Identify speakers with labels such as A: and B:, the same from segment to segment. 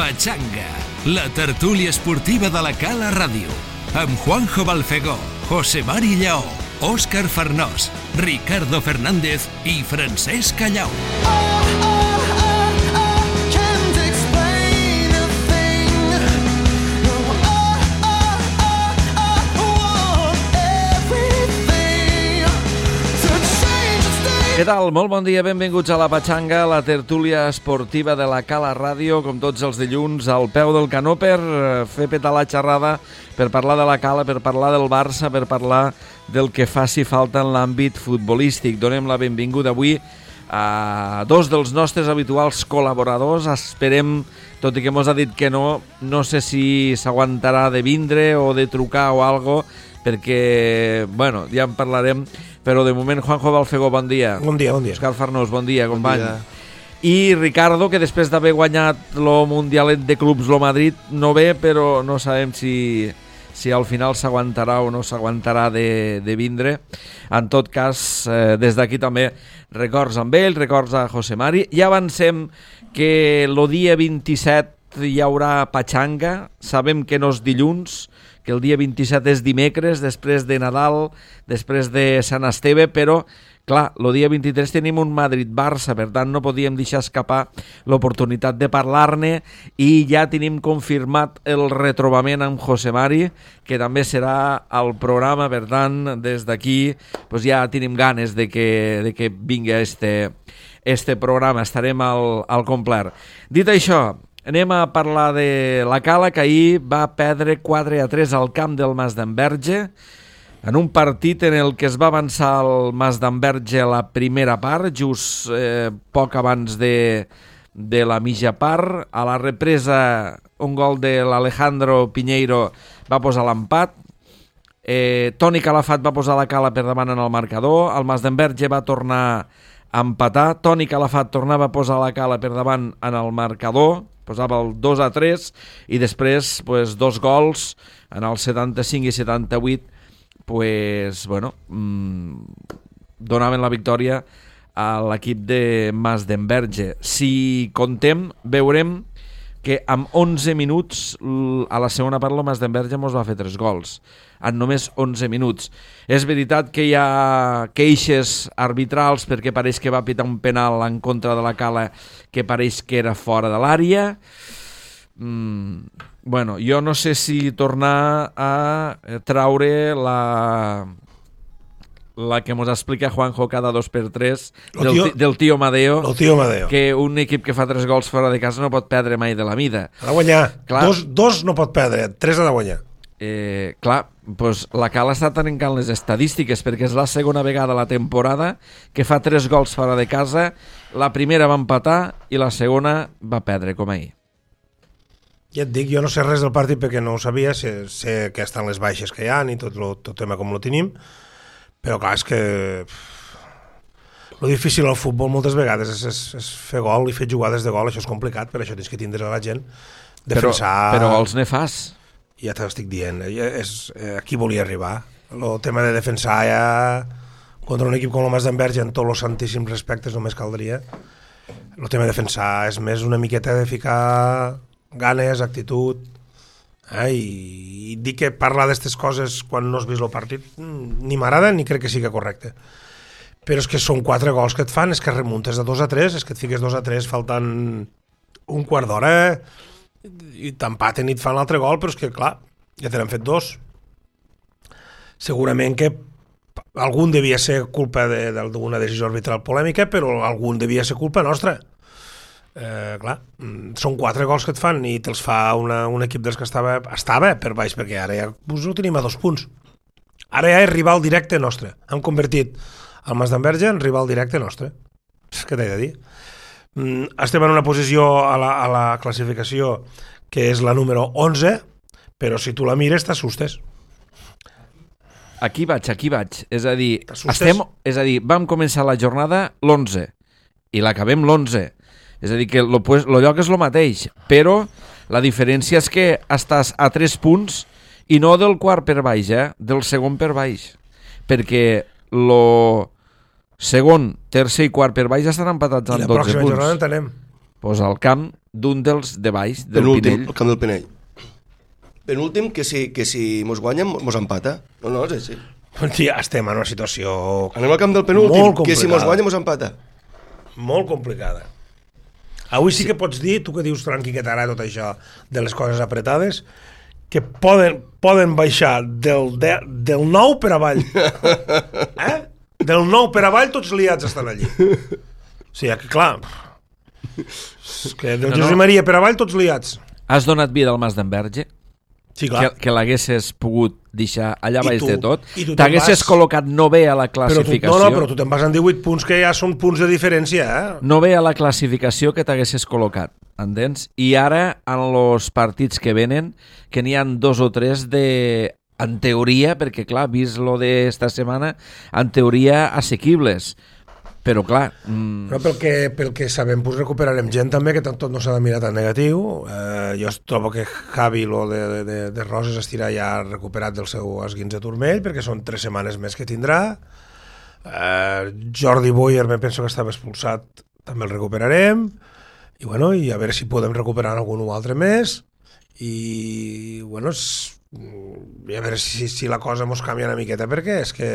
A: Pachanga, la tertúlia esportiva de la Cala Ràdio, amb Juanjo Balfegó, José Mari Lleó, Òscar Farnós, Ricardo Fernández i Francesc Callau.
B: Què tal? Molt bon dia, benvinguts a la Pachanga, la tertúlia esportiva de la Cala Ràdio, com tots els dilluns, al peu del canó per fer petar la xerrada, per parlar de la Cala, per parlar del Barça, per parlar del que faci falta en l'àmbit futbolístic. Donem la benvinguda avui a dos dels nostres habituals col·laboradors. Esperem, tot i que mos ha dit que no sé si s'aguantarà de vindre o de trucar o algo, perquè, bueno, ja en parlarem. Però de moment, Juanjo Balfegó, bon dia.
C: Bon dia, bon dia.
B: Òscar Farnós, bon dia, company.
C: Bon dia.
B: I Ricardo, que després d'haver guanyat el Mundialet de Clubs, el Madrid, no ve, però no sabem si al final s'aguantarà o no s'aguantarà de vindre. En tot cas, des d'aquí també records amb ell, records a José Mari. Ja avancem que el dia 27 hi haurà Pachanga. Sabem que no és dilluns, que el dia 27 és dimecres, després de Nadal, després de Sant Esteve, però, clar, el dia 23 tenim un Madrid-Barça, per tant no podíem deixar escapar l'oportunitat de parlar-ne, i ja tenim confirmat el retrobament amb José Mari, que també serà al programa, per tant, des d'aquí pues ja tenim ganes de que vingui este programa, estarem al complet. Dit això, anem a parlar de la Cala, que ahir va perdre 4-3 al camp del Masdenverge, en un partit en el que es va avançar el Masdenverge la primera part, just poc abans de la mitja part. A la represa, un gol de l'Alejandro Piñeiro va posar l'empat. Toni Calafat va posar la Cala per davant en el marcador. El Masdenverge va tornar a empatar. Toni Calafat tornava a posar la Cala per davant en el marcador, posava el 2-3, i després pues, dos gols en el 75 i 78 pues, bueno, donaven la victòria a l'equip de Masdenverge. Si contem, veurem que amb 11 minuts a la segona part el Masdenverge mos va fer 3 gols en només 11 minuts. És veritat que hi ha queixes arbitrals perquè pareix que va pitar un penal en contra de la Cala que pareix que era fora de l'àrea. Bueno, jo no sé si tornar a traure la que ens explica Juanjo cada 2x3 del tio Madeo, que un equip que fa 3 gols fora de casa no pot perdre mai de la mida.
C: Ha de guanyar. Dos no pot perdre, 3 ha de guanyar.
B: Clar, doncs la Cala està trencant les estadístiques, perquè és la segona vegada a la temporada que fa 3 gols fora de casa. La primera va empatar i la segona va perdre, com ahir.
C: Ja et dic, jo no sé res del partit perquè no ho sabia, sé que estan les baixes que hi ha i tot el tema com lo tenim, però clar, és que lo difícil al futbol moltes vegades és fer gol i fer jugades de gol. Això és complicat, per això tens que tindre a la gent defensar.
B: Però gols ne fas.
C: Ja t'estic dient, aquí volia arribar. El tema de defensar ja contra un equip com el Masdenverge, en tots els santíssims respectes, només caldria. El tema de defensar és més una miqueta de ficar ganes, actitud, i dir que parlar d'aquestes coses quan no has vist el partit ni m'agrada ni crec que sigui correcte. Però és que són 4 gols que et fan, és que remuntes de 2-3, és que et fiques 2-3 faltant un quart d'hora i t'empaten i et fan l'altre gol, però és que clar, ja te n'han fet 2. Segurament que algun devia ser culpa d'una decisió arbitral polèmica, però algun devia ser culpa nostra. Clar, són 4 gols que et fan i te'ls fa un equip dels que estava per baix, perquè ara ja ho tenim a 2 punts. Ara ja és rival directe nostre. Hem convertit el Masdenverge en rival directe nostre. Què t'he de dir? Estem en una posició a la classificació que és la número 11, però si tu la mires t'assustes.
B: Aquí vaig. És a dir, vam començar la jornada l'11 i l'acabem l'11. És a dir, que el lloc és el mateix, però la diferència és que estàs a 3 punts i no del quart per baix, del segon per baix. Perquè el segon, tercer i quart per baix estan empatats amb 12 punts.
C: I la pròxima jornada en tenem.
B: Pues al camp d'un dels de baix, del Pinell.
D: El camp del Pinell. Penúltim, que si mos guanyen, mos empata. No, és així.
C: Tia, estem en una situació...
D: Anem al camp del penúltim, que si mos guanyen, mos empata.
C: Molt complicada. Avui sí que pots dir, tu que dius tranqui que t'agrada tot això de les coses apretades, que poden baixar del 9 per avall. Del 9 per avall tots liats estan allí. O sigui, que clar, que del Josep Maria per avall tots liats.
B: Has donat vida al Mas d'Enverge?
C: Sí, clar.
B: Que l'haguessis pogut deixar allà baix de tot?
C: T'haguessis
B: col·locat no bé a la classificació?
C: Però tu te'n vas en 18 punts, que ja són punts de diferència,
B: No bé a la classificació que t'haguessis col·locat, entens? I ara, en els partits que venen, que n'hi ha 2 o 3 en teoria, perquè clar, vist lo d'esta setmana, en teoria assequibles. Però clar...
C: Però pel que sabem, pues recuperarem gent també, que tot no s'ha de mirar tan negatiu. Jo trobo que Javi, lo de Roses, estirà ja recuperat del seu esguins de turmell, perquè són 3 setmanes més que tindrà. Jordi Boyer, me penso que estava expulsat, també el recuperarem. I bueno, i a veure si podem recuperar algun altre més. I bueno, a veure si la cosa mos canvia una miqueta, perquè és que...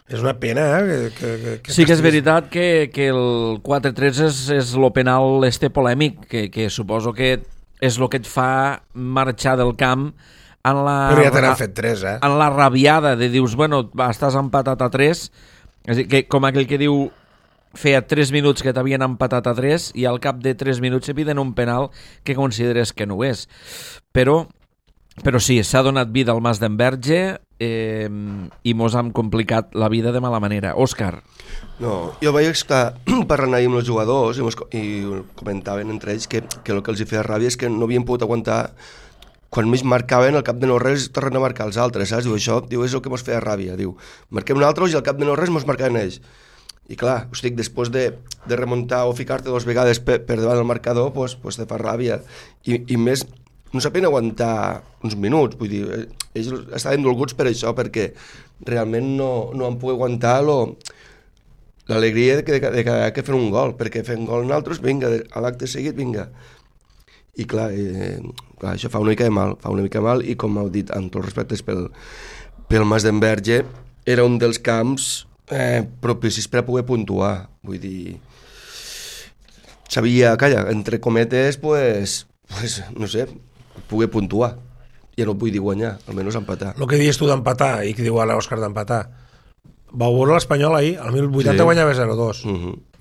C: És una pena, que
B: sí que és veritat que el 4-3 és el penal polèmic, que suposo que és el que et fa marxar del camp en la...
C: Però ja te n'han fet 3,
B: en la rabiada de dius, bueno, estàs empatat a 3, és a dir, que, com aquell que diu feia 3 minuts que t'havien empatat a 3 i al cap de 3 minuts se piden un penal que consideres que no ho és. Però sí, s'ha donat vida al Mas d'Enverge i mos hem complicat la vida de mala manera. Òscar.
D: No, jo vaig estar parlant ahir amb els jugadors i comentaven entre ells que el que els hi feia ràbia és que no havien pogut aguantar quan més marcaven al cap de no res tornen a marcar els altres, saps? Diu, això és el que mos feia ràbia, diu, marquem nosaltres i al cap de no res mos marcaven ells. I clar, us dic, després de remuntar o ficar-te 2 vegades per davant del marcador, pues te fa ràbia. I més, no saben aguantar uns minuts, vull dir, ells estaven dolguts per això, perquè realment no han pogut aguantar l'alegria que fer un gol, perquè fent gol nosaltres, vinga, a l'acte seguit, vinga. I clar, això fa una mica de mal, i com heu dit, amb tots els respectes pel Mas d'Enverge, era un dels camps propicis per a poder puntuar, vull dir, sabia, calla, entre cometes, pues no sé, poder puntuar. Ja no vull dir guanyar, almenys empatar.
C: El que dius tu d'empatar, i que diu ara l'Òscar d'empatar, va veure l'Espanyol ahir, al 1080 sí. Guanyava 0-2.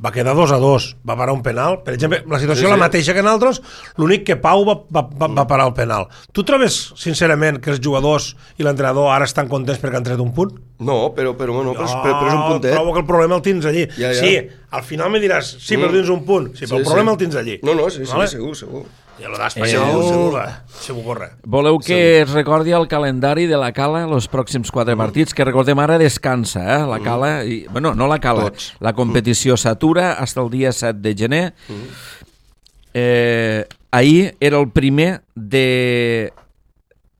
C: Va quedar 2-2, va parar un penal. Per exemple, la situació la mateixa que nosaltres, l'únic que Pau va parar el penal. Tu trobes, sincerament, que els jugadors i l'entrenador ara estan contents perquè han tret un punt?
D: No, però és un puntet.
C: Trobo que el problema el tens allí. Ja. Sí, al final me diràs, sí, però tens un punt. Sí, però el problema el tens allí.
D: No, sí, segur.
C: I el d'Espanyol se m'ho corre.
B: Voleu que es recordi el calendari de la Cala els pròxims 4 partits, que recordem ara descansa, la Cala, no la Cala, la competició s'atura fins el dia 7 de gener. Ahir era el primer de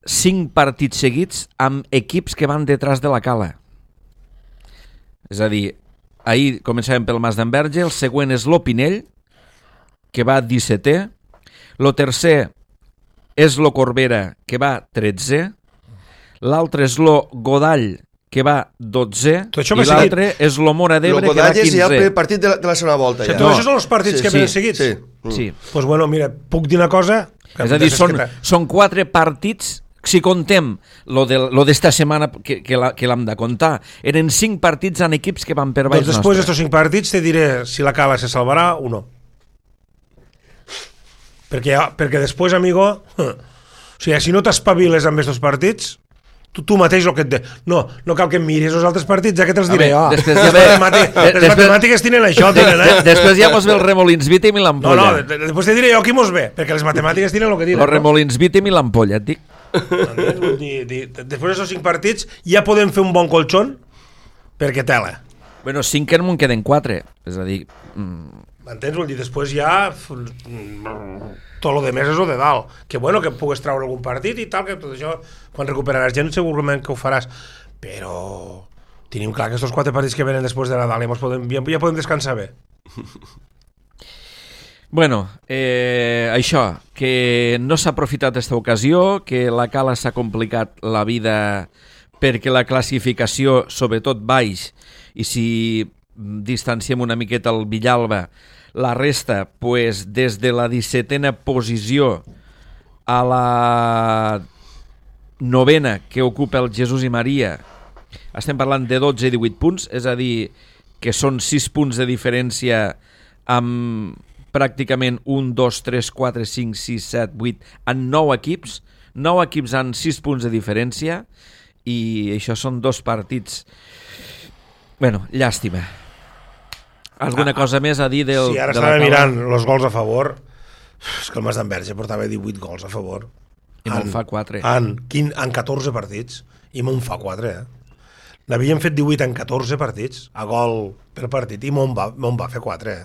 B: 5 partits seguits amb equips que van detrás de la Cala. És a dir, ahir començàvem pel Mas d'Enverge, el següent és l'Opinell, que va 17è, el tercer és lo Corbera, que va 13è, l'altre és lo Godall, que va 12è, i l'altre és lo Mora d'Ebre, que va 15è.
D: Lo Godall és ja el primer partit de la segona volta.
C: Ja. Això són els partits que venen seguits?
B: Sí.
C: Doncs bueno, mira, puc dir una cosa...
B: És a dir, són 4 partits, si contem lo d'esta setmana que l'hem de comptar, eren 5 partits en equips que van per baix nostre.
C: Doncs després d'estos 5 partits te diré si la Cala se salvarà o no. Perquè després, amigo, o sigui, si no t'espaviles amb aquests partits, tu mateix el que et de... No cal que em miris els altres partits, ja que te'ls diré. Les matemàtiques tenen això,
B: Després ja mos ve el Remolins Vítim i l'Ampolla.
C: No, després te diré jo qui mos ve, perquè les matemàtiques tenen el que diuen.
B: El Remolins Vítim i l'Ampolla, et dic.
C: Després d'aquests 5 partits ja podem fer un bon colxón, perquè tela.
B: Bueno, 5 en queden 4, és a dir...
C: M'entens? Vull dir, després ja tot el de més és el de dalt. Que bueno, que pugues treure algun partit i tal, que tot això, quan recuperaràs gent segurament que ho faràs. Però tenim clar que aquests 4 partits que venen després de Nadal ja podem descansar bé.
B: Bueno, això, que no s'ha aprofitat aquesta ocasió, que la Cala s'ha complicat la vida perquè la classificació, sobretot baix, i si distanciem una miqueta el Villalba, la resta, pues, des de la 17a posició a la 9a que ocupa el Jesús i Maria, estem parlant de 12 i 18 punts, és a dir, que són 6 punts de diferència amb pràcticament 1, 2, 3, 4, 5, 6, 7, 8, en 9 equips. 9 equips amb 6 punts de diferència i això són 2 partits. Bueno, llàstima. Alguna cosa més a dir del...
C: Sí, ara estava mirant els gols a favor. És que el Mas d'Enverge portava 18 gols a favor.
B: I me'n fa 4.
C: En 14 partits. I me'n fa 4, N'havíem fet 18 en 14 partits, a gol per partit, i me'n va fer 4,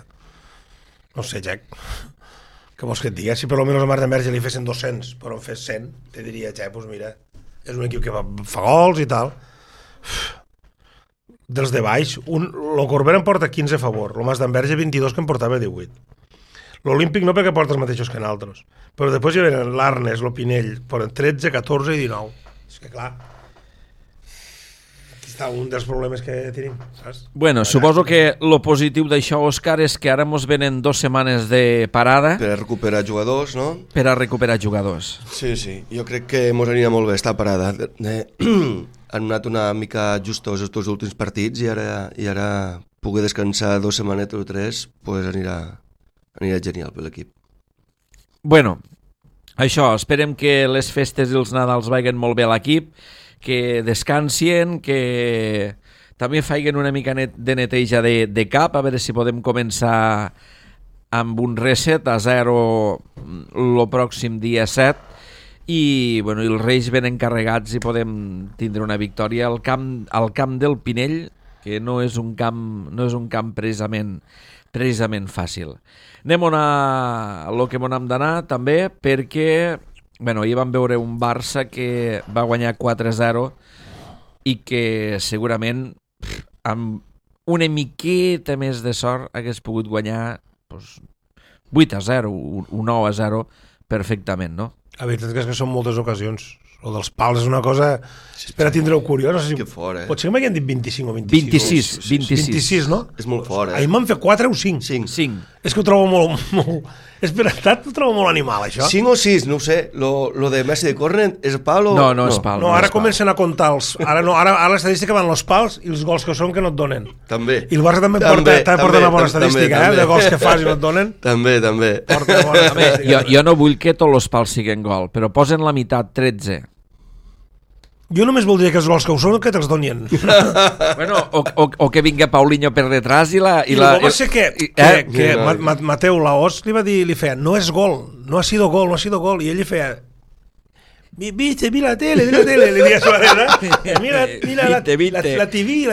C: No sé, Jack. Què vols que et digui? Si per almenys el Mas d'Enverge li fessin 200, però en fes 100, te diria, Jack, doncs mira, és un equip que fa gols i tal. Dels de baix, el Corbera em porta 15 a favor, el Mas d'Enverge 22, que em portava 18. L'Olímpic no, perquè porta els mateixos que nosaltres, però després hi venen l'Arnes, el Pinell, poden 13, 14 i 19. És que clar, aquí està un dels problemes que tenim, saps?
B: Bueno, suposo que lo positiu d'això, Òscar, és que ara mos venen 2 setmanes de parada
D: Per a recuperar jugadors, no?
B: per a recuperar jugadors.
D: Sí, sí. Jo crec que mos anirà molt bé estar parada. Han anat una mica justos els últims partits i ara poder descansar 2 setmanetes o 3 pues anirà genial per l'equip.
B: Bueno, això, esperem que les festes i els Nadals vagin molt bé a l'equip, que descansien, que també faiguen una mica de neteja de cap, a veure si podem començar amb un reset a 0 el pròxim dia 7 i bueno, els Reis ben encarregats i podem tindre una victòria al camp del Pinell, que no és un camp precisament fàcil. Anem a lo que m'on hem d'anar també, perquè bueno, ahir vam veure un Barça que va guanyar 4-0 i que segurament amb una miqueta més de sort hagués pogut guanyar pues, 8-0, un 9-0 perfectament, no?
C: La veritat és que són moltes ocasions. El dels pals és una cosa... Espera, tindreu curiós. No sé si...
D: Que fort,
C: Potser que m'havien dit 25 o 26.
B: 26,
C: no?
D: És molt fort,
C: Ahir m'han fet 4 o 5.
D: 5.
C: És que ho trobo molt... És veritat, ho trobo molt animal, això.
D: 5 o 6, no ho sé. Lo de Messi de córner és pal o...
B: No és pal.
C: No, ara comencen a comptar els... Ara l'estadística van els pals i els gols que són que no et donen.
D: També.
C: I el Barça també porta una bona estadística, de gols que fas i no et donen.
D: També.
C: Porta bona estadística.
B: Jo no vull que tots els pals siguin gol, però posen la meitat, 13.
C: Jo només voldria que els gols que ho són que te'ls donien.
B: Bueno, o que vinga Paulinho per detrás i la...
C: I el va ser que Mateu Laos li feia, no és gol, no ha sido gol, i ell li feia, viste, mira la tele, li deia a su mira la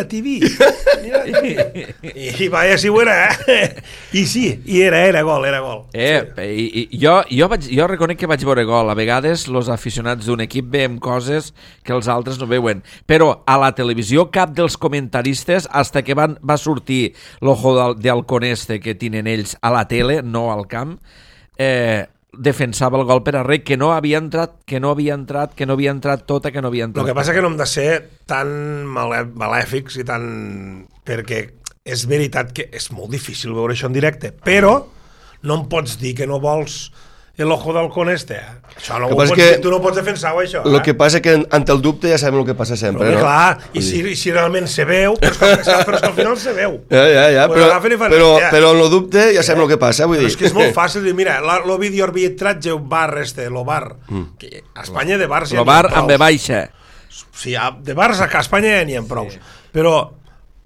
C: TV. I vaya si ho era, I sí, i era gol.
B: Jo reconec que vaig veure gol. A vegades els aficionats d'un equip veiem coses que els altres no veuen. Però a la televisió cap dels comentaristes, hasta que va sortir l'ojo de halcón este que tenen ells a la tele, no al camp, defensava el gol per arreu, que no havia entrat tota.
C: El que passa que no hem de ser tan malèfics i tan... perquè és veritat que és molt difícil veure això en directe, però no em pots dir que no vols l'ojo d'halcón este. Això no ho pots dir, tu no pots defensar-ho, això.
D: El que passa que ante el dubte ja sabem el que passa sempre,
C: no? Clar, i si realment se veu, però és que al final se veu.
D: Ja, però en el dubte ja sabem el que passa, vull dir.
C: És que és molt fàcil dir, mira, el videoarbitratge, el bar este, el bar, que a Espanya de bars
B: ja n'hi ha prou. El bar amb baixa.
C: Sí, de bars a Espanya ja n'hi ha prou. Però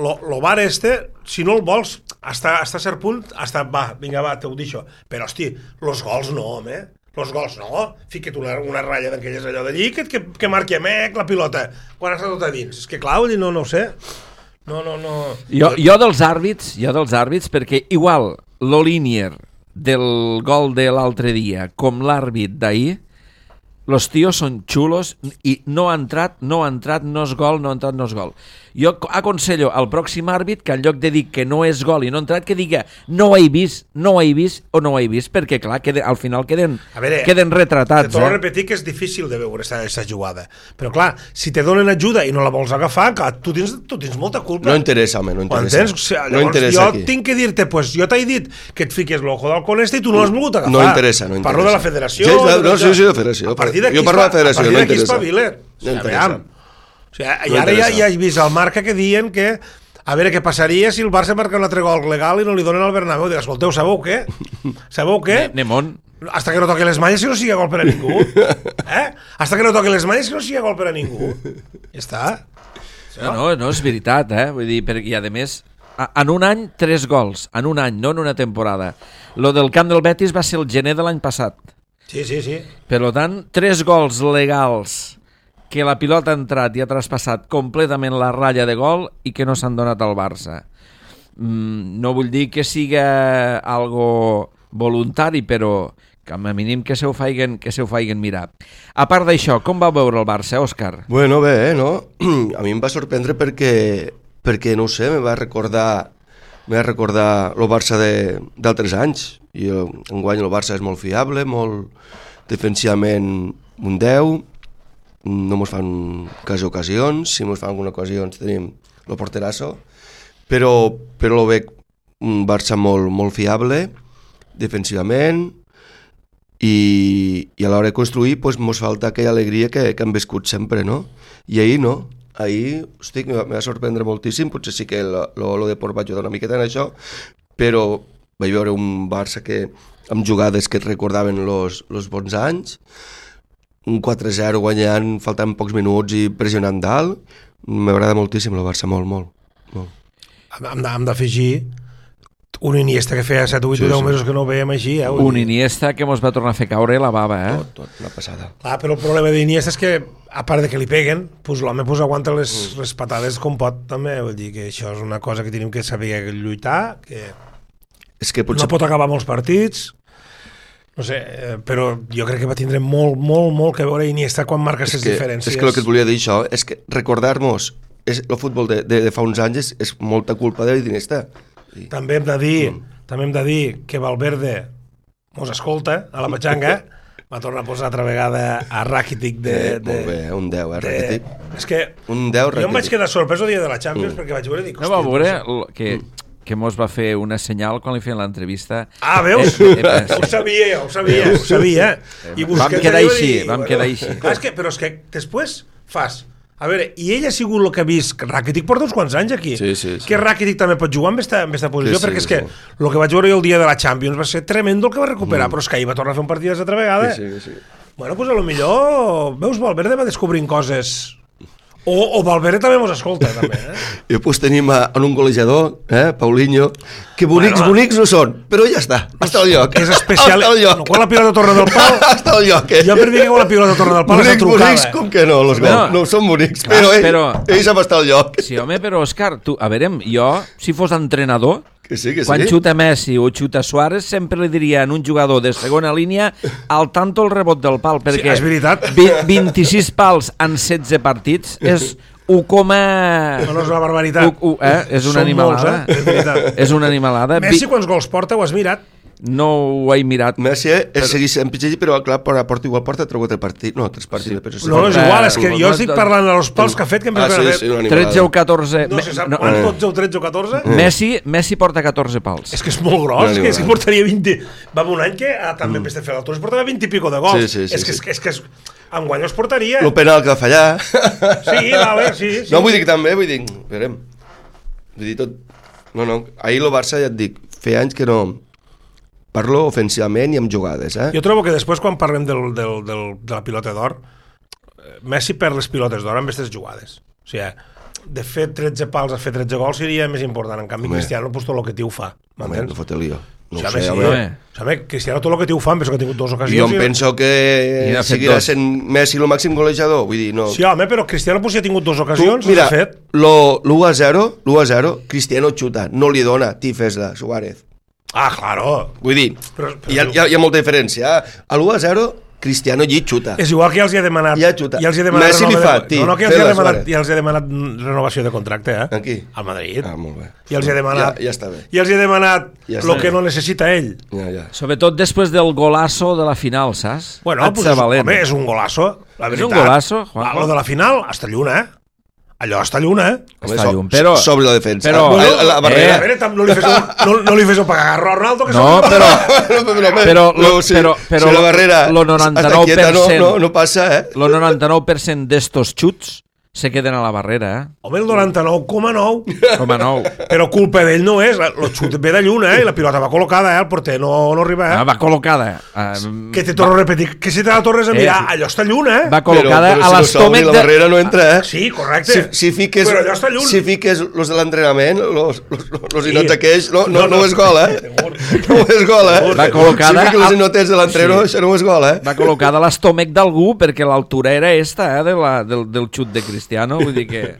C: el bar este, si no el vols, hasta cert punt, va, t'ho deixo. Però, hosti, els gols no, home. Els gols no. Fica't una ratlla d'aquelles allò d'allí que marqui a mec la pilota quan està tot a dins. És que clar, no ho sé. No.
B: Jo dels àrbits, perquè igual l'Olínier del gol de l'altre dia com l'àrbit d'ahir, los tios són xulos i no ha entrat, no és gol, no ha entrat, no és gol. Jo aconsello al pròxim àrbit que en lloc de dir que no és gol i no ha entrat, que diga no ho he vist o no ho he vist, perquè clar, al final queden retratats.
C: Te torno a repetir que és difícil de veure aquesta jugada, però clar, si te donen ajuda i no la vols agafar, clar, tu tens molta culpa.
D: No interessa, home, no interessa.
C: O sigui, llavors jo tinc que dir-te, pues jo t'he dit que et fiques l'ojo d'halcón i tu no l'has volgut agafar.
D: No interessa.
C: Parlo de la federació.
D: Sí, de la federació. Jo parlo de la federació, no interessa.
C: No interessa. O sigui, i ara ja he vist al Marca que diuen que a veure què passaria si el Barça marca un altre gol legal i no li donen al Bernabéu. Dic, escolteu, sabeu què?
B: Nemón.
C: Hasta que no toqui les malles que no sigui gol per a ningú. Hasta que no toqui les malles que no sigui gol per a ningú. Ja està.
B: No, és veritat, Vull dir, perquè a més, en un any, 3 gols. En un any, no en una temporada. Lo del camp del Betis va ser el gener de l'any passat.
C: Sí.
B: Per tant, 3 gols legals que la pilota ha entrat i ha traspassat completament la ratlla de gol i que no s'han donat al Barça. No vull dir que siga algo voluntari, però que a mínim que se ho feien mirar. A part d'això, com va veure el Barça, Òscar?
D: Bueno, bé, no? A mi em va sorprendre perquè no ho sé, me va recordar el Barça d'altres anys. I enguany el Barça és molt fiable, molt defensivament un 10, no mos fan quasi ocasions, si mos fan alguna ocasió tenim el porterasso, però lo veig un Barça molt fiable defensivament i a l'hora de construir pues, mos falta aquella alegria que hem viscut sempre, no? I ahir no, hosti, me va sorprendre moltíssim, potser sí que lo de Port va ajudar una miqueta en això, però vaig veure un Barça que amb jugades que et recordaven los bons anys, un 4-0 guanyant, faltant pocs minuts i pressionant dalt. M'agrada moltíssim el Barça, molt.
C: Hem d'afegir un Iniesta que feia 7, 8 o 10 mesos que no ho veiem així.
B: Un Iniesta que mos va tornar a fer caure la bava,
D: Tot, una passada.
C: Clar, però el problema d'Iniesta és que, a part de que li peguen, pues, l'home pues, aguanta les patades com pot, també. Vull dir que això és una cosa que tenim que saber lluitar, que
D: és que potser...
C: no pot acabar molts partits. No sé, però jo crec que va tindre molt que veure Iniesta quan marca les diferències.
D: És que el que et volia dir això és que recordar-nos el futbol de fa uns anys és molta culpa d'Iniesta.
C: També hem de dir que Valverde mos escolta a la matxanga, va tornar a posar altra vegada a Rakitic
D: molt bé, un 10, Rakitic.
C: És que
D: un 10,
C: jo em vaig quedar sorprès el dia de la Champions perquè vaig veure i dic...
B: No va veure que mos va fer una senyal quan li feien l'entrevista.
C: Ah, veus? Ho sabia.
B: Vam quedar així.
C: Però és que després fas... A veure, i ell ha sigut el que ha vist... Rakitic porta uns quants anys aquí.
D: Sí.
C: Que Rakitic també pot jugar amb aquesta posició, perquè és que el que vaig veure jo el dia de la Champions va ser tremendo el que va recuperar, però és que ahir va tornar a fer un partit altra vegada.
D: Sí.
C: Bueno, doncs a lo millor, veus, Valverde va descobrint coses... O Valverde també mos escolta, també,
D: I després tenim en un golejador, Paulinho, que bonics no són, però ja està al lloc.
C: És especial. No, quan la pilota torna del pal...
D: Està al lloc,
C: Jo per dir que quan la pilota torna del pal és la trucada.
D: Bonics, com que no, los gols. No són bonics, però ell sap estar al lloc.
B: Sí, home, però, Òscar, a veure, jo, si fos entrenador,
D: que sí.
B: Quan xuta Messi o xuta Suárez, sempre li diria a un jugador de segona línia al tanto el rebot del pal, perquè
C: és veritat.
B: 26 pals en 16 partits és 1,
C: no és una barbaritat.
B: És una animalada. És una animalada.
C: Messi quants gols porta, ho has mirat?
B: No ho he mirat.
D: Messi segueix en pitjor, però clar, porta 3 partits. No, 3 partits.
C: No, és igual, és que jo estic parlant dels pals que ha fet, que
B: 13 o 14.
C: No se sap quan 12 o 13 o 14.
B: Messi porta 14 pals.
C: És que és molt gros, que si portaria 20... Va un any que també en fer l'altre, portava 20 i pico de gols. És que enguany els portaria.
D: El penal que va fallar.
C: Sí, vale, sí.
D: No, vull dir que també, esperem. Vull dir tot... No, ahir el Barça, ja et dic, feia anys que no... Parlo ofensivament i amb jugades,
C: Jo trobo que després, quan parlem de la pilota d'or, Messi perd les pilotes d'or amb aquestes jugades. O sigui, de fer 13 pals a fer 13 gols seria més important. En canvi, Cristiano, pues, tot el que t'ho fa.
D: Home, no fot el lío. No
C: sé, home. Cristiano, tot el que t'ho fa, penso que ha tingut 2 ocasions.
D: Jo em penso que seguirà sent Messi el màxim golejador. Vull dir, no...
C: Sí, home, però Cristiano potser ha tingut 2 ocasions.
D: Mira, l'1-0, Cristiano xuta, no li dona, tifes-la, Suárez.
C: Ah, claro.
D: Vull dir, hi ha molta diferència. A l'1-0 Cristiano allí xuta.
C: És igual que ja els hi ha demanat...
D: Ja xuta.
C: Ja els hi ha demanat
D: Messi li fa,
C: no, que ja els hi ha demanat renovació de contracte,
D: Aquí?
C: Al Madrid.
D: Molt bé.
C: I els hi ha demanat...
D: Ja està bé.
C: I els hi ha demanat
D: Ja
C: el que no necessita ell.
D: Ja.
B: Sobretot després del golazo de la final, saps?
C: Bueno, pues home, és un golazo, la veritat.
B: És un golazo, Juanjo.
C: Lo de la final, està lluna, Allò està lluna,
B: Està llum, però...
D: Sobre la defensa.
B: Però...
D: la barrera.
C: A veure, no li fes pagar a Ronaldo, que
B: No, però
D: si la barrera
B: lo 99%,
D: no passa,
B: lo 99% d'estos xuts se queden a la barrera,
C: Home, el 99,9.
B: Com a nou.
C: Però culpa d'ell no és. El xut ve de lluna, I la pilota va col·locada, El porter no arriba,
B: Va col·locada.
C: Que te torno a repetir, que si te la tornes a mirar, allò està lluna,
B: Va col·locada
D: però
B: a l'estómac
D: la barrera no entra,
C: Sí, correcte.
D: Si fiques,
C: Però allò està lluny.
D: Si fiques los de l'entrenament, los inots aquells, no és gol, No és gol,
B: Va col·locada
D: Si fiques los inotes de l'entreno, això no és gol,
B: Va col·locada a l'estómac d'algú perquè l'altura era esta, del xut de Cristiano, vull dir que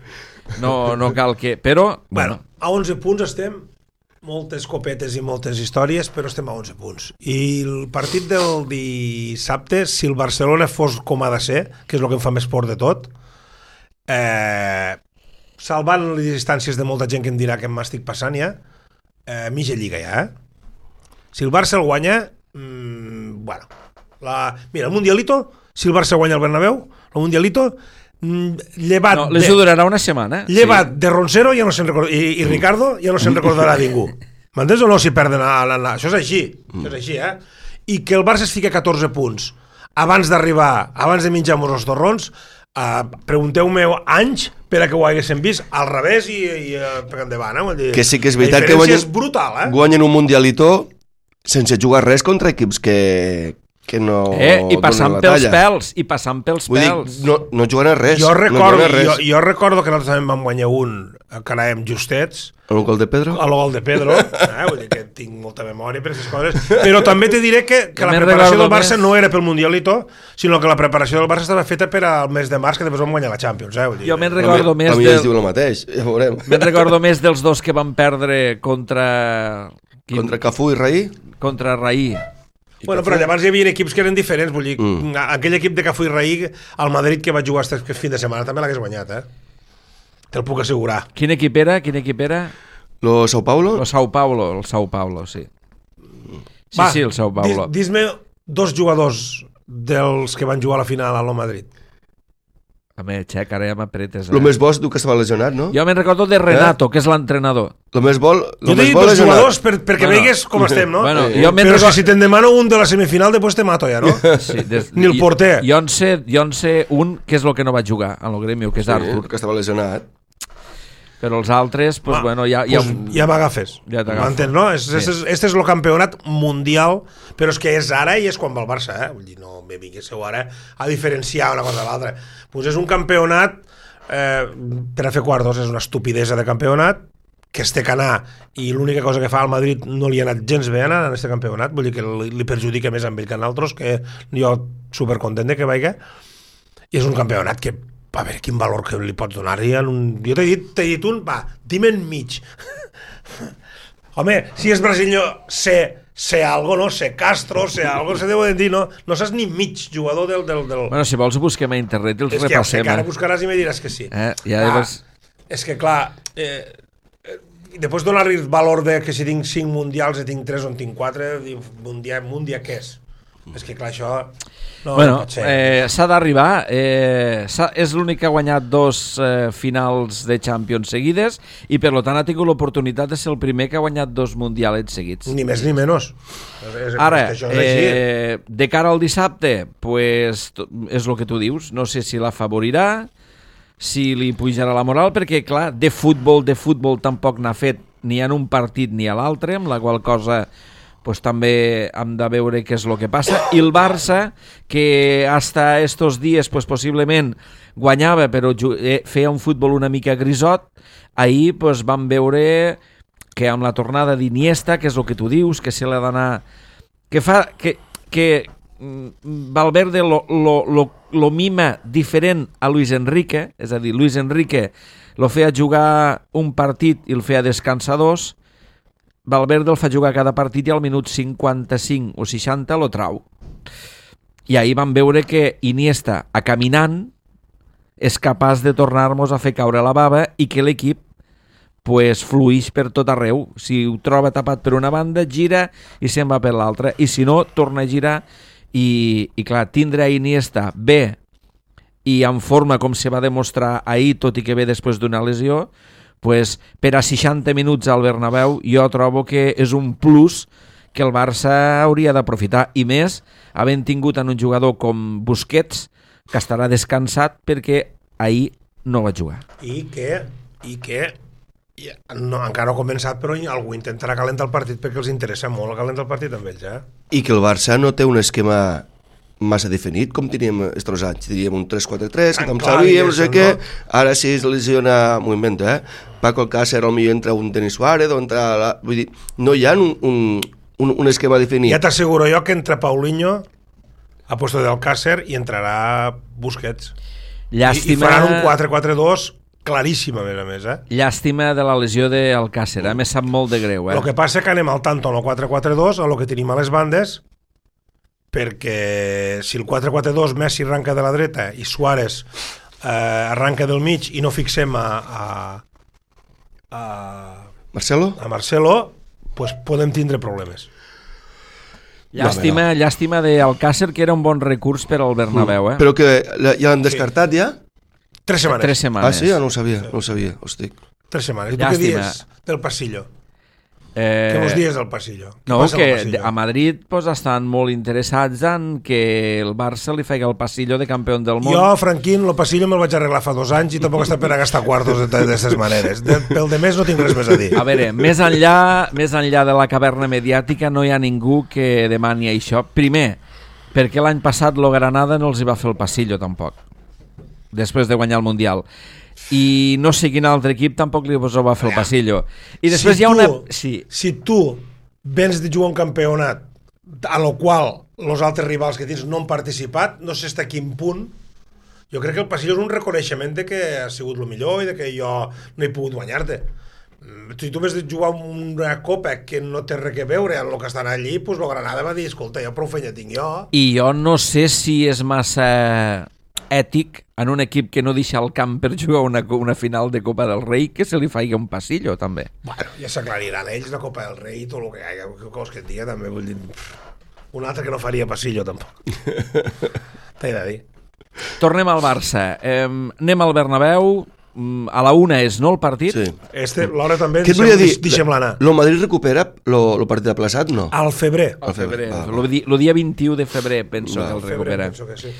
B: no cal que... Però...
C: Bueno, a 11 punts estem, moltes copetes i moltes històries, però estem a 11 punts. I el partit del dissabte, si el Barcelona fos com ha de ser, que és el que em fa més por de tot, salvant les distàncies de molta gent que em dirà que m'estic passant ja, mitja lliga ja, Si el Barça el guanya, bueno, mira, el Mundialito, si el Barça guanya el Bernabéu, el Mundialito, llevat...
B: No, les durarà una setmana.
C: Llevat de Roncero ja no se'n recorda, i Ricardo ja no se'n recordarà ningú. M'entens o no, si perden Això és així, això és així, I que el Barça es fica a 14 punts abans d'arribar, abans de menjar-nos els torrons, pregunteu-me anys per a que ho haguéssim vist al revés i per endavant, Vull dir,
D: que sí que és veritat
C: que és brutal,
D: guanyen un Mundialito sense jugar res contra equips que no
B: I passant pels pèls,
D: Vull dir, no juguen a res.
C: Jo recordo que nosaltres també vam guanyar un que anàvem justets.
D: El gol de Pedro?
C: El gol de Pedro. Vull dir que tinc molta memòria per aquestes coses. Però també te diré que la preparació del Barça no era pel Mundialito, sinó que la preparació del Barça estava feta per al mes de març, que després vam guanyar la Champions.
B: Jo me'n recordo més...
D: A mi es diu el mateix, ja veurem.
B: Me'n recordo més dels dos que van perdre contra...
D: Contra Cafú i Raí?
B: Contra Raí.
C: Bueno, però llavors hi havia equips que eren diferents, vull dir, aquell equip de Cafú i Raí, al Madrid que va jugar aquest fin de setmana també l'hagués guanyat, Te'l puc assegurar.
B: Quin equip era?
D: Lo Sao Paulo?
B: El Sao Paulo, sí. Sí, el Sao Paulo.
C: Dis-me dos jugadors dels que van jugar a la final a lo Madrid.
B: Home, Xec, ara ja m'apretes.
D: El més bo és que estava lesionat, no?
B: Jo me'n recordo de Renato, que és l'entrenador.
D: El més bo
C: jo t'he dit dos jugadors perquè veigues com estem, no?
B: Bueno,
C: però si te'n demano un de la semifinal, després te mato ja, no?
B: Sí,
C: ni el porter.
B: Jo en sé un que és el que no va jugar a lo Grêmio, que és Artur.
D: Que estava lesionat.
B: Però els altres, pues, bueno, ja
C: m'agafes.
B: Ja t'agafo.
C: M'entens, no? Este és el campionat mundial, però és que és ara i és quan va el Barça, Vull dir, no me vinguéssiu ara a diferenciar una cosa de l'altra. Pues és un campionat, per a fer quartos, és una estupidesa de campionat, que es té que anar, i l'única cosa que fa al Madrid no li ha anat gens bé anar en aquest campionat, vull dir que li perjudica més amb ell que en altres, que jo supercontent de que vaiga, i és un campionat que a veure quin valor que li pots donar-hi. Jo t'he dit un, dime en mig. Home, si és brasileño, sé algo, no? Sé Castro, sé algo, se deuen dir, no? No saps ni mig jugador del...
B: Bueno, si vols busquem a internet i els repassem.
C: És que ara buscaràs i me diràs que sí. És que, clar, després donar-li el valor de que si tinc 5 mundials i tinc 3 o en tinc 4, mundial què és? És que, clar, això no pot ser.
B: S'ha d'arribar. És l'únic que ha guanyat 2 finals de Champions seguides i, per tant, ha tingut l'oportunitat de ser el primer que ha guanyat 2 mundialets seguits.
C: Ni més ni menys.
B: Ara, de cara al dissabte, pues, és el que tu dius. No sé si l'afavorirà, si li pujarà la moral, perquè, clar, de futbol tampoc n'ha fet ni en un partit ni a l'altre, amb la qual cosa... pues també hem de veure què és el que passa. I el Barça, que hasta estos dies pues, possiblement guanyava però feia un futbol una mica grisot, ahir pues, vam veure que amb la tornada d'Iniesta, que és el que tu dius, que se l'ha d'anar... que Valverde lo mima diferent a Luis Enrique, és a dir, Luis Enrique lo feia jugar un partit i el feia descansar 2, Valverde el fa jugar cada partit i al minut 55 o 60 lo trau. I ahir vam veure que Iniesta, a caminant, és capaç de tornar-nos a fer caure la bava i que l'equip pues, fluix per tot arreu. Si ho troba tapat per una banda, gira i se'n va per l'altra. I si no, torna a girar i clar, tindre a Iniesta bé i en forma com se va demostrar ahir, tot i que ve després d'una lesió, pues, per a 60 minuts al Bernabéu jo trobo que és un plus que el Barça hauria d'aprofitar, i més havent tingut en un jugador com Busquets, que estarà descansat perquè ahir no va jugar.
C: I que no, encara no ha començat, però algú intentarà calentar el partit perquè els interessa molt calentar el partit amb ells,
D: I que el Barça no té un esquema massa definit, com teníem estos anys. Teníem un 3-4-3, que com sabíem, no sé què, ara si es lesiona, m'ho invento, Paco Alcácer, potser entra un Denis Suárez, o entra... Vull dir, no hi ha un esquema definit.
C: Ja t'asseguro jo que entra Paulinho a puesto de Alcácer i entrarà Busquets.
B: Llàstima...
C: I faran un 4-4-2 claríssim, a més,
B: Llàstima de la lesió d'Alcácer, me sap molt de greu,
C: El que passa que anem al tanto en el 4-4-2, a lo que tenim a les bandes, perquè si el 4-4-2 Messi arranca de la dreta i Suárez arranca del mig i no fixem a Marcelo, pues podem tindre problemes.
B: Llàstima d'Alcácer, que era un bon recurs per al Bernabéu,
D: Però que ja l'han descartat, ja?
C: 3 setmanes.
D: Ah, sí? No ho sabia, hosti.
C: 3 setmanes. I tu què dius del passillo? Que els dies del passillo.
B: No, que a Madrid pues, estan molt interessats en que el Barça li faci el passillo de campió del món.
C: Jo, Franquín, el passillo me'l vaig arreglar fa 2 anys i tampoc està per a gastar quartos d'aquestes maneres. Pel de més no tinc res més a dir.
B: A veure, més enllà de la caverna mediàtica no hi ha ningú que demani això. Primer, perquè l'any passat lo Granada no els hi va fer el passillo tampoc, després de guanyar el Mundial. I no sé quin altre equip tampoc li va fer el passillo. I després hi ha una...
C: Si tu vens de jugar un campionat a lo qual els altres rivals que tens no han participat, no sé fins a quin punt, jo crec que el passillo és un reconeixement de que ha sigut el millor i de que jo no he pogut guanyar-te. Si tu vens de jugar una copa que no té res a veure amb el que estan allí, doncs el Granada va dir, escolta, jo prou feina tinc jo.
B: I jo no sé si és massa ètic en un equip que no deixa el camp per jugar una final de Copa del Rei que se li faci un passillo, també.
C: Bueno, ja s'aclariran ells la Copa del Rei i tot el que hi ha, que et diga, també, vull dir, un altre que no faria passillo, tampoc. T'he de dir.
B: Tornem al Barça. Anem al Bernabéu. A la 1 és, no, el partit?
D: Sí.
C: L'hora també deixem-la anar.
D: El Madrid recupera el partit aplaçat, no?
C: Al febrer.
B: El dia 21 de febrer penso que el recupera.
C: Penso que sí.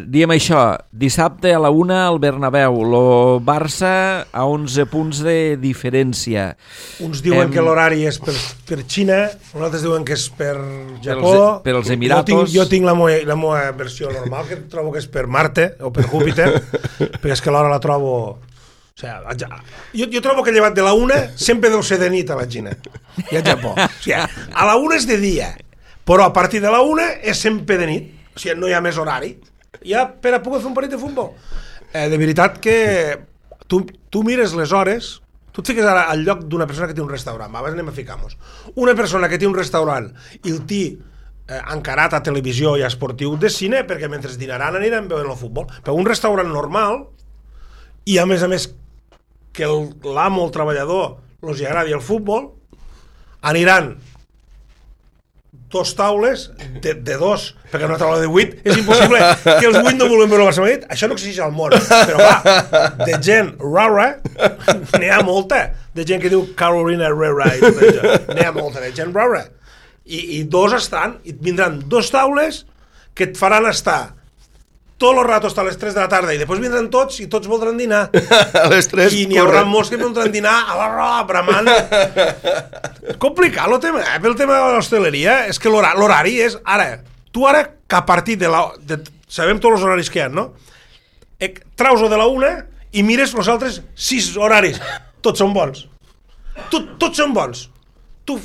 B: Diem això, dissabte a la 1 al Bernabéu, el Barça a 11 punts de diferència.
C: Uns diuen que l'horari és per Xina, uns altres diuen que és per Japó,
B: per els Emiratos.
C: Jo tinc la meva versió normal, que trobo que és per Marte o per Júpiter, perquè és que l'hora la trobo... O sigui, jo trobo que llevat de la 1 sempre deu ser de nit a la Xina i al Japó. O sigui, a la 1 és de dia, però a partir de la 1 és sempre de nit. O sigui, no hi ha més horari. Ja per a poder fer un partit de futbol. De veritat que tu mires les hores, tu et fiques ara al lloc d'una persona que té un restaurant. Abans anem a ficar-nos. Una persona que té un restaurant i el té encarat a televisió i a esportiu de cine, perquè mentre dinaran aniran veient el futbol. Però un restaurant normal, i a més que l'amo, el treballador, els agradi el futbol, aniran 2 taules de 2, perquè una taula de 8 és impossible que els 8 no vulguem veure el Barça Madrid. Això no existeix al món, però va, de gent rara n'hi ha molta, de gent que diu Carolina Herrera i tot això, n'hi ha molta de gent rara, i 2 estan, i vindran 2 taules que et faran estar tot el rato hasta les 3 de la tarda i després vindran tots i tots voldran dinar
D: a les 3
C: i n'hi haurà molts que voldran dinar a la roda, bramant. Complicat el tema, pel tema de l'hostaleria és que l'horari és ara, tu ara que a partir sabem tots els horaris que hi ha, no? Traus-ho de la 1 i mires els altres 6 horaris, tots són bons, tots són bons. Tu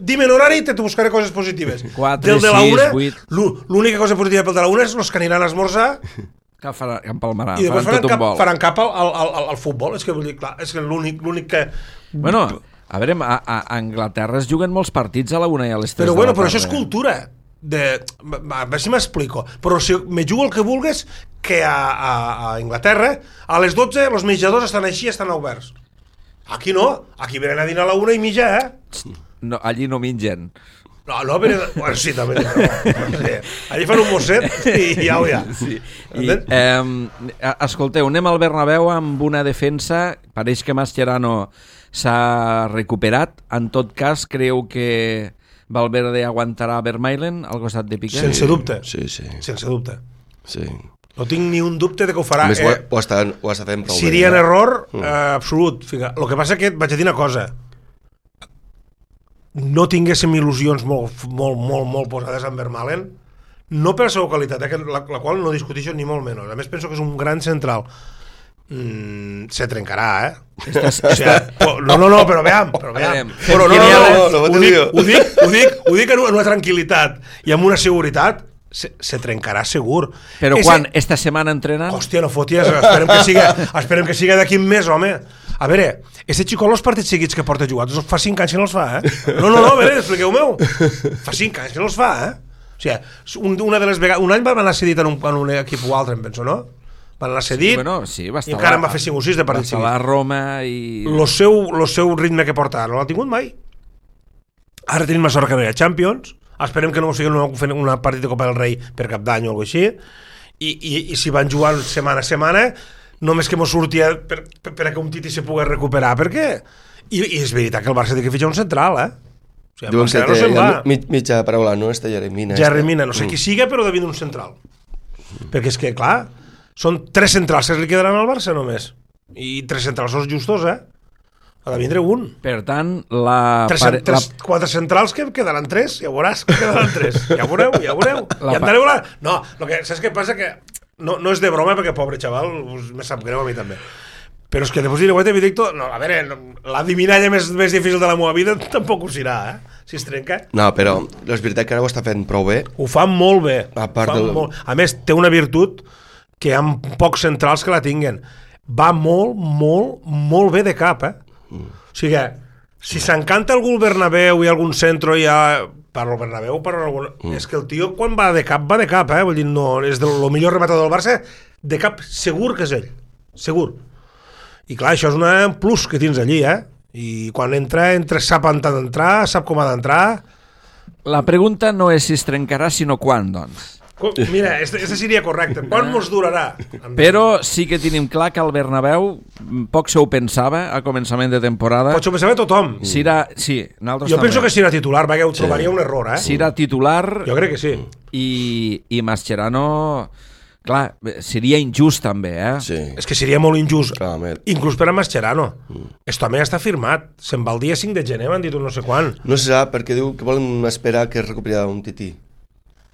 C: dime l'horari i te buscaré coses positives.
B: 4, 6, 8...
C: L'única cosa positiva pel de la 1 és els que aniran a esmorzar
B: que empalmaran,
C: i després faran cap al futbol. És que vull dir, clar, és que l'únic que...
B: Bueno, a veure, a Anglaterra es juguen molts partits a la 1 i a les 3
C: però
B: de la tarda.
C: Però això és cultura. a veure si m'explico, però si me jugo el que vulgues, que a Inglaterra a les 12 els menjadors estan així, estan oberts. Aquí no, aquí venen a dinar a la 1:30,
B: No, allí no mengen.
C: No, venen... Bueno, sí, també. Sí. Allí fan un mosset i ja ho hi ha.
B: Sí. Escolteu, anem al Bernabéu amb una defensa, pareix que Mascherano s'ha recuperat. En tot cas, creu que Valverde aguantarà Vermaelen al costat de Piqué?
C: Sense dubte.
D: Sí.
C: Sense dubte.
D: Sí.
C: No tinc ni un dubte de que ho farà.
D: A més, ho està fent prou bé.
C: Seria un error absolut. El que passa que et vaig a dir una cosa. No tinguéssim il·lusions molt posades en Vermaelen, no per la seva qualitat, la qual no discuteixo ni molt menys. A més, penso que és un gran central. Se trencarà, No, però veam. Però ho dic en una tranquil·litat i amb una seguretat. Se trencarà segur.
B: Però quan? Esta setmana entrenant?
C: Hòstia, no foties, esperem que siga d'aquí un mes, home. A veure, este xicot els partits seguits que porta jugats fa 5 anys que no els fa, No, a veure, expliqueu-meu. Fa 5 anys que no els fa, O sigui, una de les vegades... Un any van anar cedit en un equip o altre, em penso, no? Van anar cedit
B: sí, va estar
C: i encara en va fer 5 o 6 de partits seguits.
B: Va estar a Roma i...
C: El seu ritme que porta no l'ha tingut mai. Ara tenim la sort que no hi ha Champions. Esperem que no sigui una partit de Copa del Rei per cap d'any o alguna cosa així. I si van jugant setmana a setmana, només que mos sortia per que un Titi se pugui recuperar. Per què? I és veritat que el Barça té que fitxar un central, O sigui,
D: diuen que té mitja paraula, no?
C: Jeremina, no sé qui siga, però devia d'un central. Perquè és que, clar, són 3 centrals que li quedaran al Barça només. I 3 centrals són justos, Ha de vindre un.
B: Per tant,
C: 4 centrals que quedaran 3, ja veuràs que quedaran 3. Ja veureu. I andareu a la... No, saps què passa? Que no és de broma, perquè pobre xaval, me sap greu a mi també. Però és que després diré, Benedicto, no, a veure, la divinalla més difícil de la meva vida tampoc ho serà, si es trenca.
D: No, però és veritat que ara ho està fent prou bé.
C: Ho fa molt bé.
D: A
C: més, té una virtut que hi ha pocs centrals que la tinguen. Va molt bé de cap, O sigui, si s'encanta algú el Bernabéu i algun centro ja... Parlo Bernabéu, és que el tio quan va de cap, vull dir, no, és el millor rematador del Barça, de cap segur que és ell, segur. I clar, això és un plus que tens allí, I quan entra sap on ha d'entrar, sap com ha d'entrar.
B: La pregunta no és si es trencarà, sinó quan, doncs.
C: Mira, este seria correcte. Quan mos durarà?
B: Però sí que tenim clar que el Bernabéu poc se ho pensava a començament de temporada.
C: Pot se ho pensava tothom.
B: Sí, nosaltres
C: jo penso que si era titular, perquè ho trobaria un error,
B: Si era titular...
C: Jo crec que sí.
B: I Mascherano... Clar, seria injust també,
D: Sí.
C: És que seria molt injust.
D: Clarament.
C: Inclús per a Mascherano. Esto també està firmat. Se'n va el dia 5 de gener, m'han dit un no sé quan.
D: No se sap, perquè diu que volen esperar que es recuperi un tití.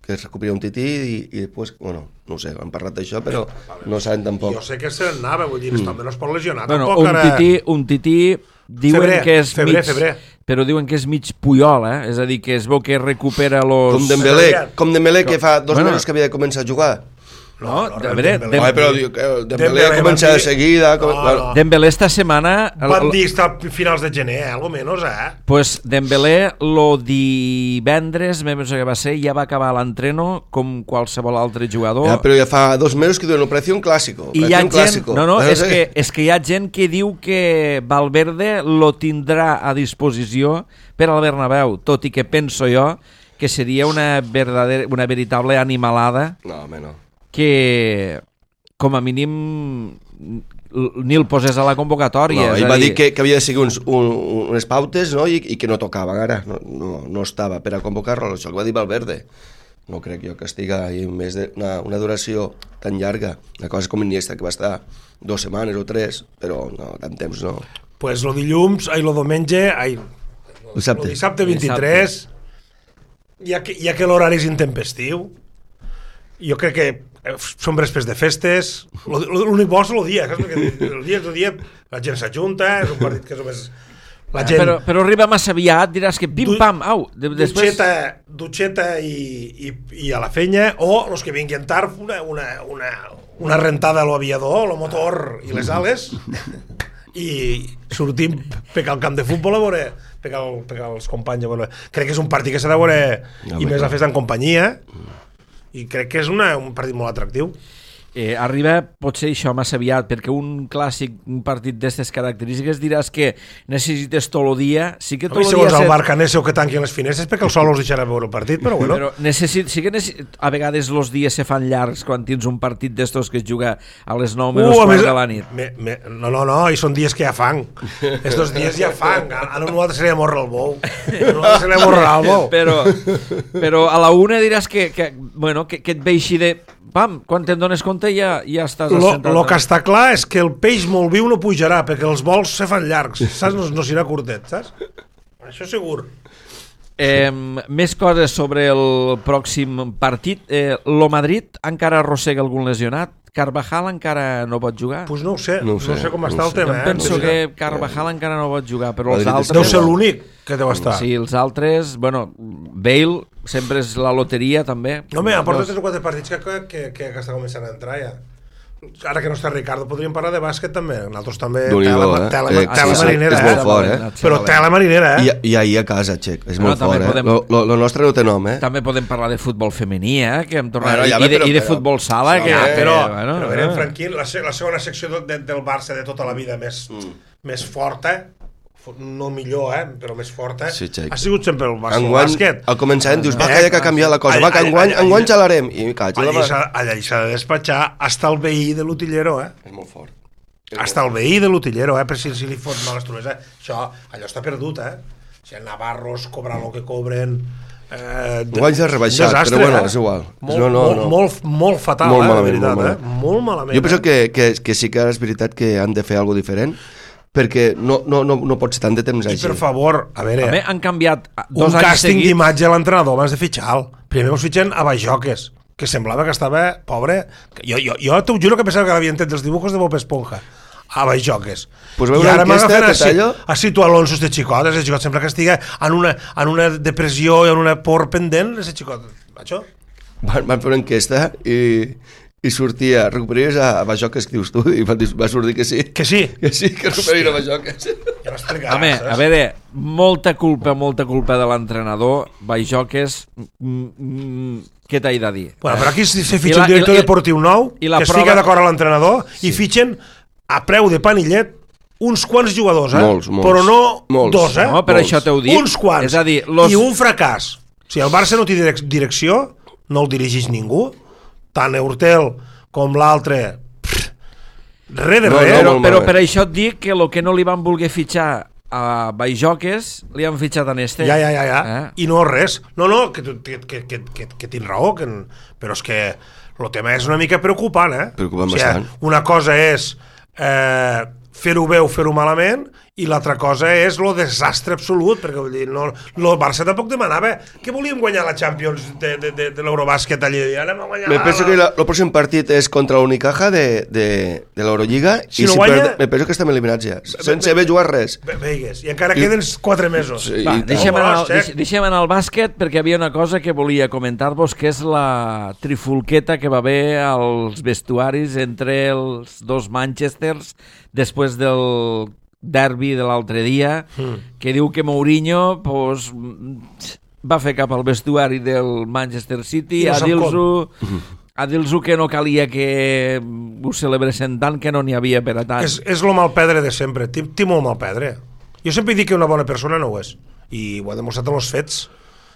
D: Que es recuperi un tití i després, bueno, no sé, han parlat d'això, però no saben tampoc.
C: Jo sé que se n'anava, vull dir, també no es pot lesionar.
B: Bueno,
C: tampoc,
B: un tití diuen que és
C: febrer.
B: Però diuen que és mig Puyol, És a dir, que es veu que recupera los...
D: Com Dembélé, que fa 2 mesos que havia de començar a jugar.
C: No,
D: però Dembélé ha començat de seguida.
B: Dembélé esta setmana...
C: Van dir que a finals de gener, algo menos,
B: Pues Dembélé lo divendres, me penso que va ser, ja va acabar l'entreno com qualsevol altre jugador.
D: Però ja fa 2 mesos que diuen operació clásico.
B: I hi ha gent, és que hi ha gent que diu que Valverde lo tindrà a disposició per al Bernabéu, tot i que penso jo que seria una veritable animalada.
D: No, home, no.
B: Que com a mínim ni el posés a la convocatòria.
D: No, ell va dir que havia de seguir unes pautes, no? I que no tocava ara, no estava per a convocar-lo, això ho va dir Valverde. No crec jo que estiga més d'una duració tan llarga. La cosa és com Iniesta, que va estar 2 setmanes o 3, però no, tant temps no.
C: Pues lo dilluns, lo diumenge,
D: dissabte
C: 23, ja que l'horari és intempestiu, jo crec que són vespres de festes, l'únic bo és el dia, el dia la gent s'ajunta, és un partit que és només la gent...
B: Però arriba massa aviat, diràs que pim-pam, au, després...
C: Dutxeta i a la fenya, o els que vinguin tard, una rentada a l'aviador, el motor i les ales, i sortim pecar al camp de futbol a veure, pecar els companys a veure. Crec que és un partit que s'ha de veure i més la festa en companyia i crec que és un partit molt atractiu.
B: Arriba potser això massa aviat, perquè un clàssic, un partit d'aquestes característiques diràs que necessites tot el dia, sí que tot el dia...
C: Segons el Barcanese o que tanquin les finestres perquè el sol us deixarà veure el partit, però bueno.
B: Però sí que a vegades els dies se fan llargs quan tens un partit d'estos que es juga a les 9 menys quart de la nit.
C: No, i són dies que ja fang. Estos dies ja fang. A nosaltres se li amorra el bou.
B: Però a la una diràs que et ve així de... Pam, quan te'n dones compte ja estàs assentat.
C: El que està clar és que el peix molt viu no pujarà, perquè els vols se fan llargs, saps? No serà curtet, saps? Això segur.
B: Més coses sobre el pròxim partit. Lo Madrid encara arrossega algun lesionat? Carvajal encara no pot jugar?
C: Pues no ho sé, no sé com està el tema.
B: Jo penso que Carvajal encara no pot jugar, però els altres...
C: Deu ser l'únic que deu estar.
B: Sí, els altres... Bueno, Bale sempre és la loteria, també.
C: No, ha portat 3 o 4 partits que està començant a entrar ja. Ara que no està Ricardo, podríem parlar de bàsquet també. Nosaltres també, tela marinera.
D: És molt fort,
C: Però tela marinera,
D: I ahir a casa, Txec, és molt fort, Lo nostre no té nom,
B: També podem parlar de futbol femení, que hem tornat... I de futbol sala, que...
C: Però Franquín, la segona secció del Barça de tota la vida més forta, no millor, però més forta, ha sigut sempre el bàsquet.
D: Al començament dius, va, que ha canviat la cosa, va, que enguany xalarem.
C: Allà s'ha de despatxar hasta el veí de l'utillero,
D: És molt fort.
C: Hasta el veí de l'utillero, per si li fot males trones. Això, allò està perdut, Si els navarros cobran el que cobren...
D: Enguany s'ha rebaixat, però bueno, és igual.
C: Molt fatal, la veritat, molt malament.
D: Jo penso que sí que és veritat que han de fer alguna diferent, perquè no pot ser tant de temps així.
C: I per favor, a veure,
B: han canviat
C: un càsting d'imatge a l'entrenador abans de fitxar-lo. Primer us fitxen a Bajoques, que semblava que estava pobre. Jo t'ho juro que pensava que l'havien tret dels dibujos de Bob Esponja a Bajoques.
D: Pues i ara m'agafen
C: a situar Alonso de xicot. El xicot sempre que estigui en una depressió i en una por pendent, el xicot, macho.
D: Van fer una enquesta i sortia, recuperaries a Bajoques, que dius tu, i va sortir que sí.
C: Que sí?
D: Que sí, que recuperaria a Bajoques.
C: Ja m'explicaràs.
B: Home, a veure, molta culpa de l'entrenador, Bajoques, què t'he de dir?
C: Bueno, però aquí se fitxa un director deportiu nou, que estigui d'acord amb l'entrenador, i fitxen a preu de panillet uns quants jugadors,
D: molts.
C: Però no dos,
B: No, per això t'heu dit.
C: Uns quants.
B: És a dir,
C: I un fracàs. Si el Barça no té direcció, no el dirigeix ningú, tant Eurtel com l'altre, res de res.
B: Però per això et dic que el que no li van voler fitxar a Bajoques li han fitxat a Neste.
C: Ja. I no res. No, que tens raó, però és que el tema és una mica preocupant,
D: Preocupant bastant.
C: Una cosa és fer-ho bé o fer-ho malament, i l'altra cosa és el desastre absolut, perquè vull dir, el Barça tampoc demanava que volíem guanyar la Champions de l'Eurobàsquet allà, i ara
D: me penso que el pròxim partit és contra l'Unicaja de l'Eurolliga, i me penso que estem eliminats ja, sense haver jugat res.
C: Veigues, i encara queden 4 mesos.
B: Deixem anar al bàsquet, perquè hi havia una cosa que volia comentar-vos, que és la trifulqueta que va haver als vestuaris entre els dos Manchesters després del derbi de l'altre dia, que diu que Mourinho va fer cap al vestuari del Manchester City a dir-los que no calia que ho celebressin tant, que no n'hi havia per a tant.
C: És lo mal pedre de sempre, té molt mal pedre. Jo sempre dic que una bona persona no ho és, i ho ha demostrat amb els fets.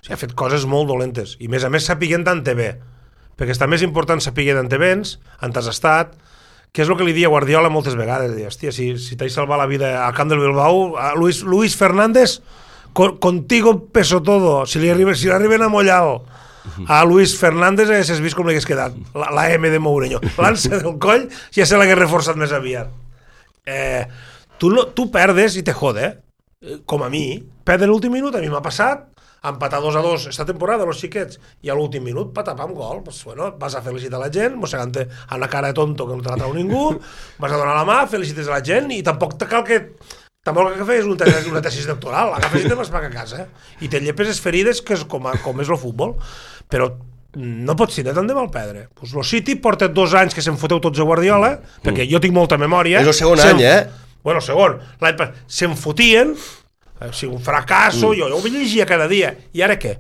C: Ha fet coses molt dolentes, i a més sapiguent d'on te ve, perquè està més important saber d'on te vens, on t'has estat, que és el que li dia Guardiola moltes vegades. Hòstia, si t'has salvat la vida al camp del Bilbao, a Luis Fernández, contigo peso todo. Si l'arriben a Mollal a Luis Fernández, haguessis vist com li hagués quedat la M de Mourinho. L'ansa del coll ja se l'hagués reforçat més aviat. Tu perdes i te jode, com a mi. Perdre l'últim minut, a mi m'ha passat, empatar 2-2 esta temporada, los xiquets, i a l'últim minut, patapam, gol. Pues, bueno, vas a felicitar la gent, mossegant-te amb una cara de tonto que no te la trau ningú, vas a donar la mà, felicites a la gent, i tampoc cal que fes una tesis doctoral, agafes i te vas pagar a casa, i te llepes les ferides, que és com és el futbol. Però no pots tindre tant de mal pedre. Pues el City porta 2 anys que se'n foteu tots a Guardiola, perquè jo tinc molta memòria.
D: És el segon any,
C: Bueno, segon. Se'n fotien, un fracasso, jo ho llegia cada dia. I ara què?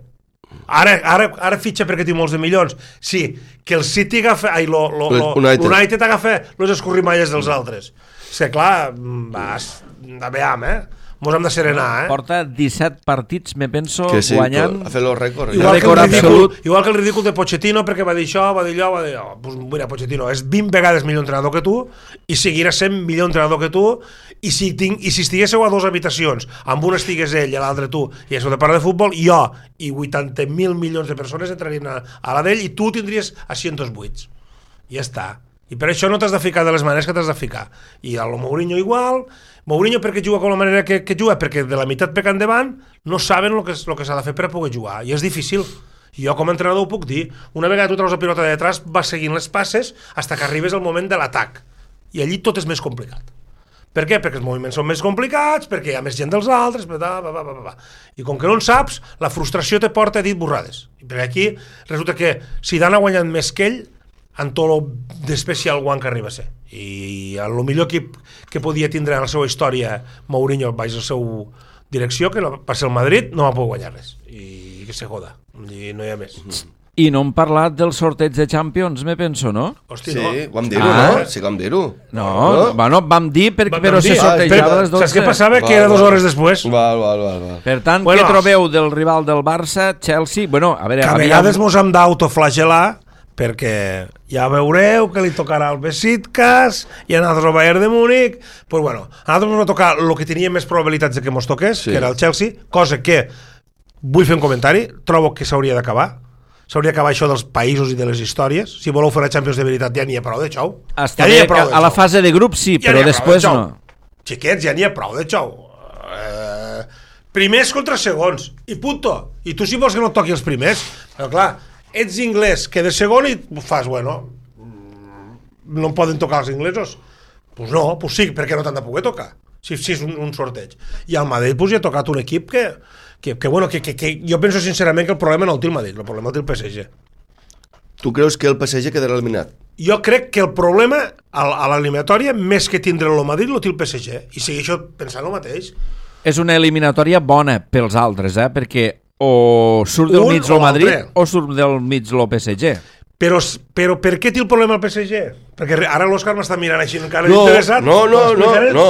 C: Ara fitxa perquè té molts de milions. Sí, que el City agafa... l'United agafa les escorrimalles dels altres. És que clar, veiem, mos hem de serenar,
B: Porta 17 partits, me penso,
D: que sí,
B: guanyant...
D: ha fet el rècord.
C: Igual que el ridícul de Pochettino, perquè va dir això, va dir allò, Pues mira, Pochettino és 20 vegades millor entrenador que tu i seguirà sent millor entrenador que tu i si estiguéssiu a 2 habitacions, amb una estigués ell i a l'altre tu, i això de parlar de futbol, jo i 80.000 milions de persones entrarien a la d'ell i tu tindries asientos buits. I ja està. I per això no t'has de ficar de les maneres que t'has de ficar. I a lo Mourinho igual. Mourinho perquè juga com la manera que juga, perquè de la meitat per endavant no saben el que s'ha de fer per a poder jugar. I és difícil. Jo com a entrenador ho puc dir. Una vegada tu treus la pilota de detrás, vas seguint les passes fins que arribes al moment de l'atac. I allí tot és més complicat. Per què? Perquè els moviments són més complicats, perquè hi ha més gent dels altres, i com que no en saps, la frustració te porta a dir borrades. I perquè aquí resulta que Zidane ha guanyat més que ell en tot el d'especial one que arriba a ser. I el millor equip que podia tindre en la seva història Mourinho baix la seva direcció, que va ser el Madrid, no va poder guanyar res. I que se joda. I no hi ha més.
B: I no hem parlat del sorteig de Champions, me penso, no?
C: Hosti,
D: sí,
C: no.
D: Vam dir-ho, no? Sí que vam dir-ho.
B: No, bueno, vam dir, però se sortejava a les 12.
C: Saps què passava? Que era 2 hores després.
D: Val.
B: Per tant, què trobeu del rival del Barça, Chelsea? Bueno, a veure...
C: Que a vegades mos hem d'autoflagelar perquè ja veureu que li tocarà el Besiktas i a nosaltres el Bayern de Múnich. Pues bueno, a nosaltres ens va tocar el que tenia més probabilitats de que mos toqués, que era el Chelsea, cosa que, vull fer un comentari, trobo que s'hauria d'acabar. S'hauria d'acabar això dels països i de les històries. Si voleu fer la Champions de veritat, ja n'hi ha prou de xou.
B: Està bé, a la fase de grup sí, però després no.
C: Xiquets, ja n'hi ha prou de xou. Primers contra segons, i punto. I tu si vols que no et toqui els primers, però clar, ets inglès, que de segon i fas, bueno, no poden tocar els inglesos. Pues no, pues sí, perquè no t'han de poder tocar, si és un sorteig. I al Madrid pues, ja ha tocat un equip que jo penso sincerament que el problema no el té el Madrid, el problema el té el PSG.
D: Tu creus que el PSG quedarà eliminat?
C: Jo crec que el problema a l'eliminatòria, més que tindre el Madrid, el té el PSG. I segueixo pensant el mateix.
B: És una eliminatòria bona pels altres, perquè o surt del mig el Madrid o surt del mig el PSG.
C: Però per què té el problema el PSG? Perquè ara l'Òscar m'està mirant així encara interessat.
D: No.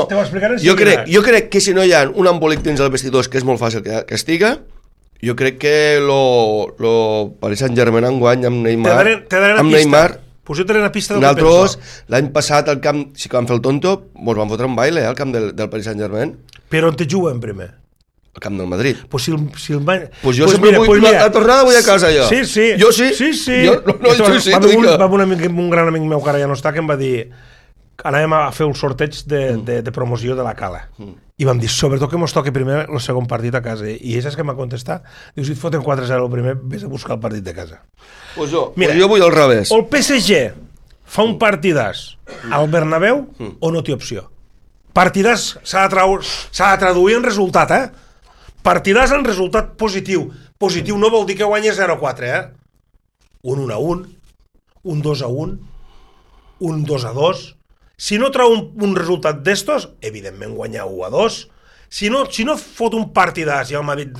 C: Te ho explicaré
D: jo crec que si no hi ha un embolic dins el vestidor, que és molt fàcil que estiga, jo crec que lo Paris Saint-Germain enguany amb Neymar
C: pues jo t'he una pista del
D: que penso. L'any passat al camp, sí que vam fer el tonto, ens van fotre un baile al camp del Paris Saint-Germain.
C: Però on te juguen primer?
D: Al camp del Madrid.
C: Pues jo
D: sempre vull la tornada vull a casa, jo.
C: Sí.
D: Jo sí.
C: Va un gran amic meu que ara ja no està, que em va dir anàvem a fer un sorteig de promoció de la Cala. I vam dir, sobretot que mos toqui primer el segon partit a casa. I ell saps que m'ha contestat? Diu, si et foten 4-0 el primer, vés a buscar el partit de casa.
D: Pues jo vull al revés.
C: El PSG fa un partidàs al Bernabéu o no té opció? Partidàs s'ha de traduir en resultat, Partidàs en resultat positiu. Positiu no vol dir que guanyi 0-4, Un 1-1, un 2-1, un 2-2. Si no trau un resultat d'estos, evidentment guanyar 1-2. Si no fot un partidàs i al Madrid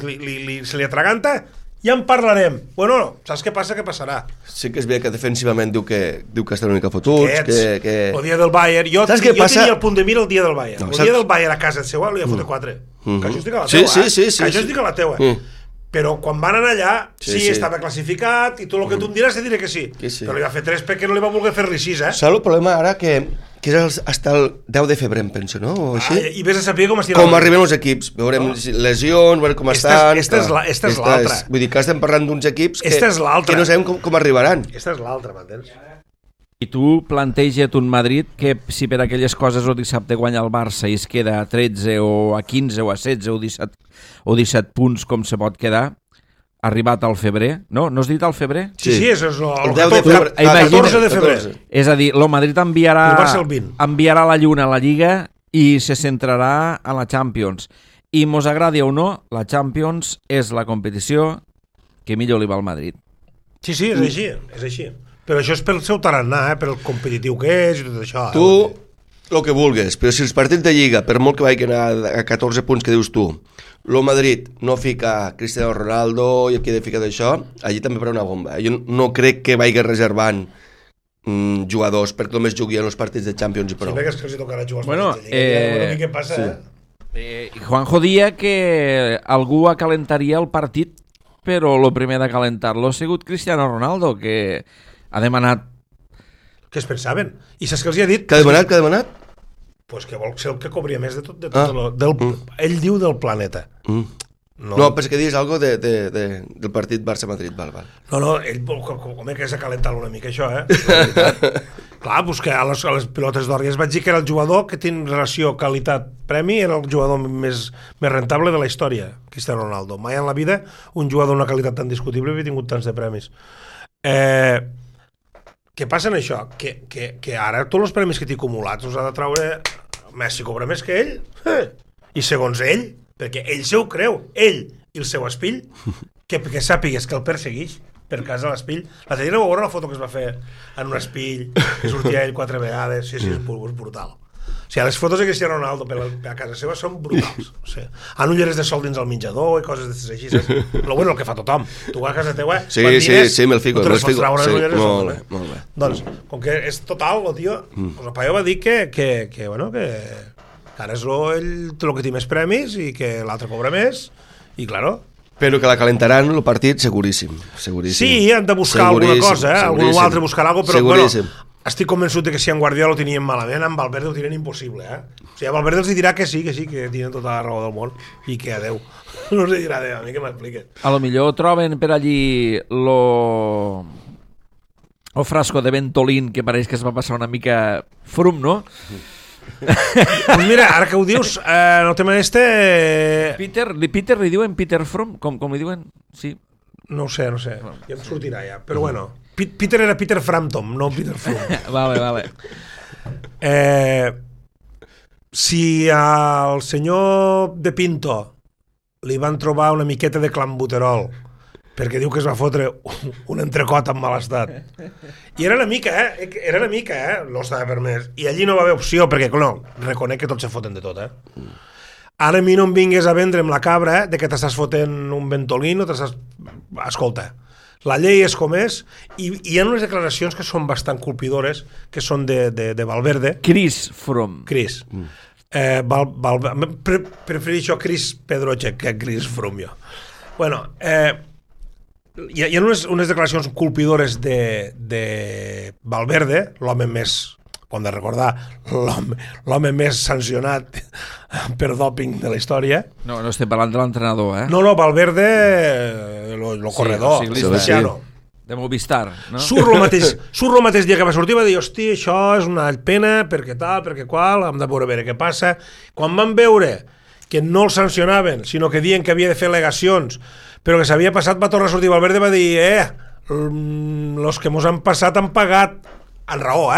C: se li atraganta, ja en parlarem. Bueno, saps què passa? Què passarà?
D: Sí que és bé que defensivament diu que està una mica fotuts.
C: El dia del Bayern. Jo tenia el punt de mira el dia del Bayern. El dia del Bayern a casa seu li ha fotre 4. Que això estic a la teua.
D: Sí.
C: Que això estic a la teua. Però quan van anar allà, sí, estava classificat i tot el que tu em diràs te diré que sí. Però li va fer 3 perquè no li va voler fer-li 6,
D: Saps el problema ara que és fins al 10 de febrer, em penso, no? O així?
C: I vés a saber com
D: arriben els equips. Veurem lesions, veurem com estan...
C: Esta és l'altra.
D: Vull dir que estem parlant d'uns equips que
C: no
D: sabem com arribaran.
C: Esta és l'altra, m'entens?
B: I tu planteja't un Madrid que si per aquelles coses el dissabte guanya el Barça i es queda a 13 o a 15 o a 16 o 17 punts com se pot quedar, arribat al febrer, no? No has dit al febrer?
C: Sí, és el
B: 14
C: de febrer.
B: És a dir, el Madrid enviarà la lluna a la Lliga i se centrarà a la Champions. I mos agradi o no, la Champions és la competició que millor li va al Madrid.
C: Sí, és així. Però això és pel seu tarannà, per el competitiu que és i tot això.
D: el que vulguis, però si els partits de Lliga, per molt que vagin a 14 punts que dius tu, el Madrid no fica Cristiano Ronaldo i aquí ha de ficar d'això, allí també farà una bomba. Jo no crec que vagi reservant jugadors perquè només juguin els partits de Champions i prou.
C: Sí, perquè és que els tocarà jugar els
B: partits
C: de Lliga. Què passa,
B: Juanjo dia que algú acalentaria el partit, però el primer de calentar-lo ha sigut Cristiano Ronaldo, que ha demanat.
C: Què es pensaven? I saps què els hi ha dit?
D: Què ha demanat?
C: Pues que vol ser el que cobria més de tot ell diu del planeta.
D: No, però és que dius alguna cosa del partit Barça-Madrid. Val.
C: No, ell home, que és acalentar una mica això, Clar, pues que a les pilotes d'or ja es vaig dir que era el jugador que té relació qualitat-premi, era el jugador més rentable de la història, Cristiano Ronaldo. Mai en la vida un jugador d'una qualitat tan discutible havia tingut tants de premis. Què passa en això? Que ara tots els premis que té acumulats els ha de treure Messi, cobra més que ell, i segons ell, perquè ell se ho creu, ell i el seu espill, que sàpigues que el persegueix per casa l'espill. La Tallera va veure la foto que es va fer en un espill, que sortia ell 4 vegades, sí, és brutal. O sigui, les fotos de Cristiano Ronaldo a casa seva són brutals. O sigui, han ulleres de sol dins el menjador i coses d'aquestes així, saps? Però bueno, el que fa tothom. Tu vas a casa teua,
D: sí, me'l fico.
C: No te les pots traure les ulleres de sol.
D: Molt bé.
C: Doncs, com que és total, el tio, el paio va dir que ara és el que té més premis i que l'altre cobra més, i claro.
D: Però que la calentaran el partit, seguríssim.
C: Sí, han de buscar alguna cosa, algú altre buscarà alguna cosa, però bueno, estic convençut que si en Guardiola ho tenien malament, en Valverde ho tenien impossible, O sigui, a Valverde els dirà que sí, que tenen tota la raó del món i que adeu. No els dirà adeu, a mi que m'expliquen.
B: A lo millor troben per allí el frasco de Ventolin, que pareix que es va passar una mica frum, no?
C: Pues mira, ara que ho dius, en el tema
B: Peter li diuen Peter Fromm, com li diuen? Sí.
C: No ho sé, ja em sortirà ja, però bueno, Peter era Peter Frampton, no Peter Fromm.
B: Vale.
C: Si al senyor de Pinto li van trobar una miqueta de clambuterol perquè diu que es va fotre un entrecot en mal estat, i era una mica, no estava permès, i allí no va haver opció, perquè no, reconec que tots se foten de tot, Ara a mi no em vingues a vendre'm la cabra de que t'estàs fotent un Ventolin o t'estàs... Escolta, la llei és com és, i hi ha unes declaracions que són bastant colpidores, que són de Valverde.
B: Chris Fromm.
C: Prefereixo Chris Pedroche que Chris Fromm, jo. Bueno, hi ha unes declaracions colpidores de Valverde, l'home més... Ho hem de recordar, l'home més sancionat per dòping de la història.
B: No estem parlant de l'entrenador,
C: No, Valverde, el corredor, Cristiano.
B: De Movistar, no?
C: Surt el mateix dia que va sortir i va dir, hosti, això és una pena, perquè tal, perquè qual, hem de veure què passa. Quan van veure que no el sancionaven, sinó que diuen que havia de fer al·legacions, però que s'havia passat, va tornar a sortir Valverde i va dir, los que mos han passat han pagat, en raó,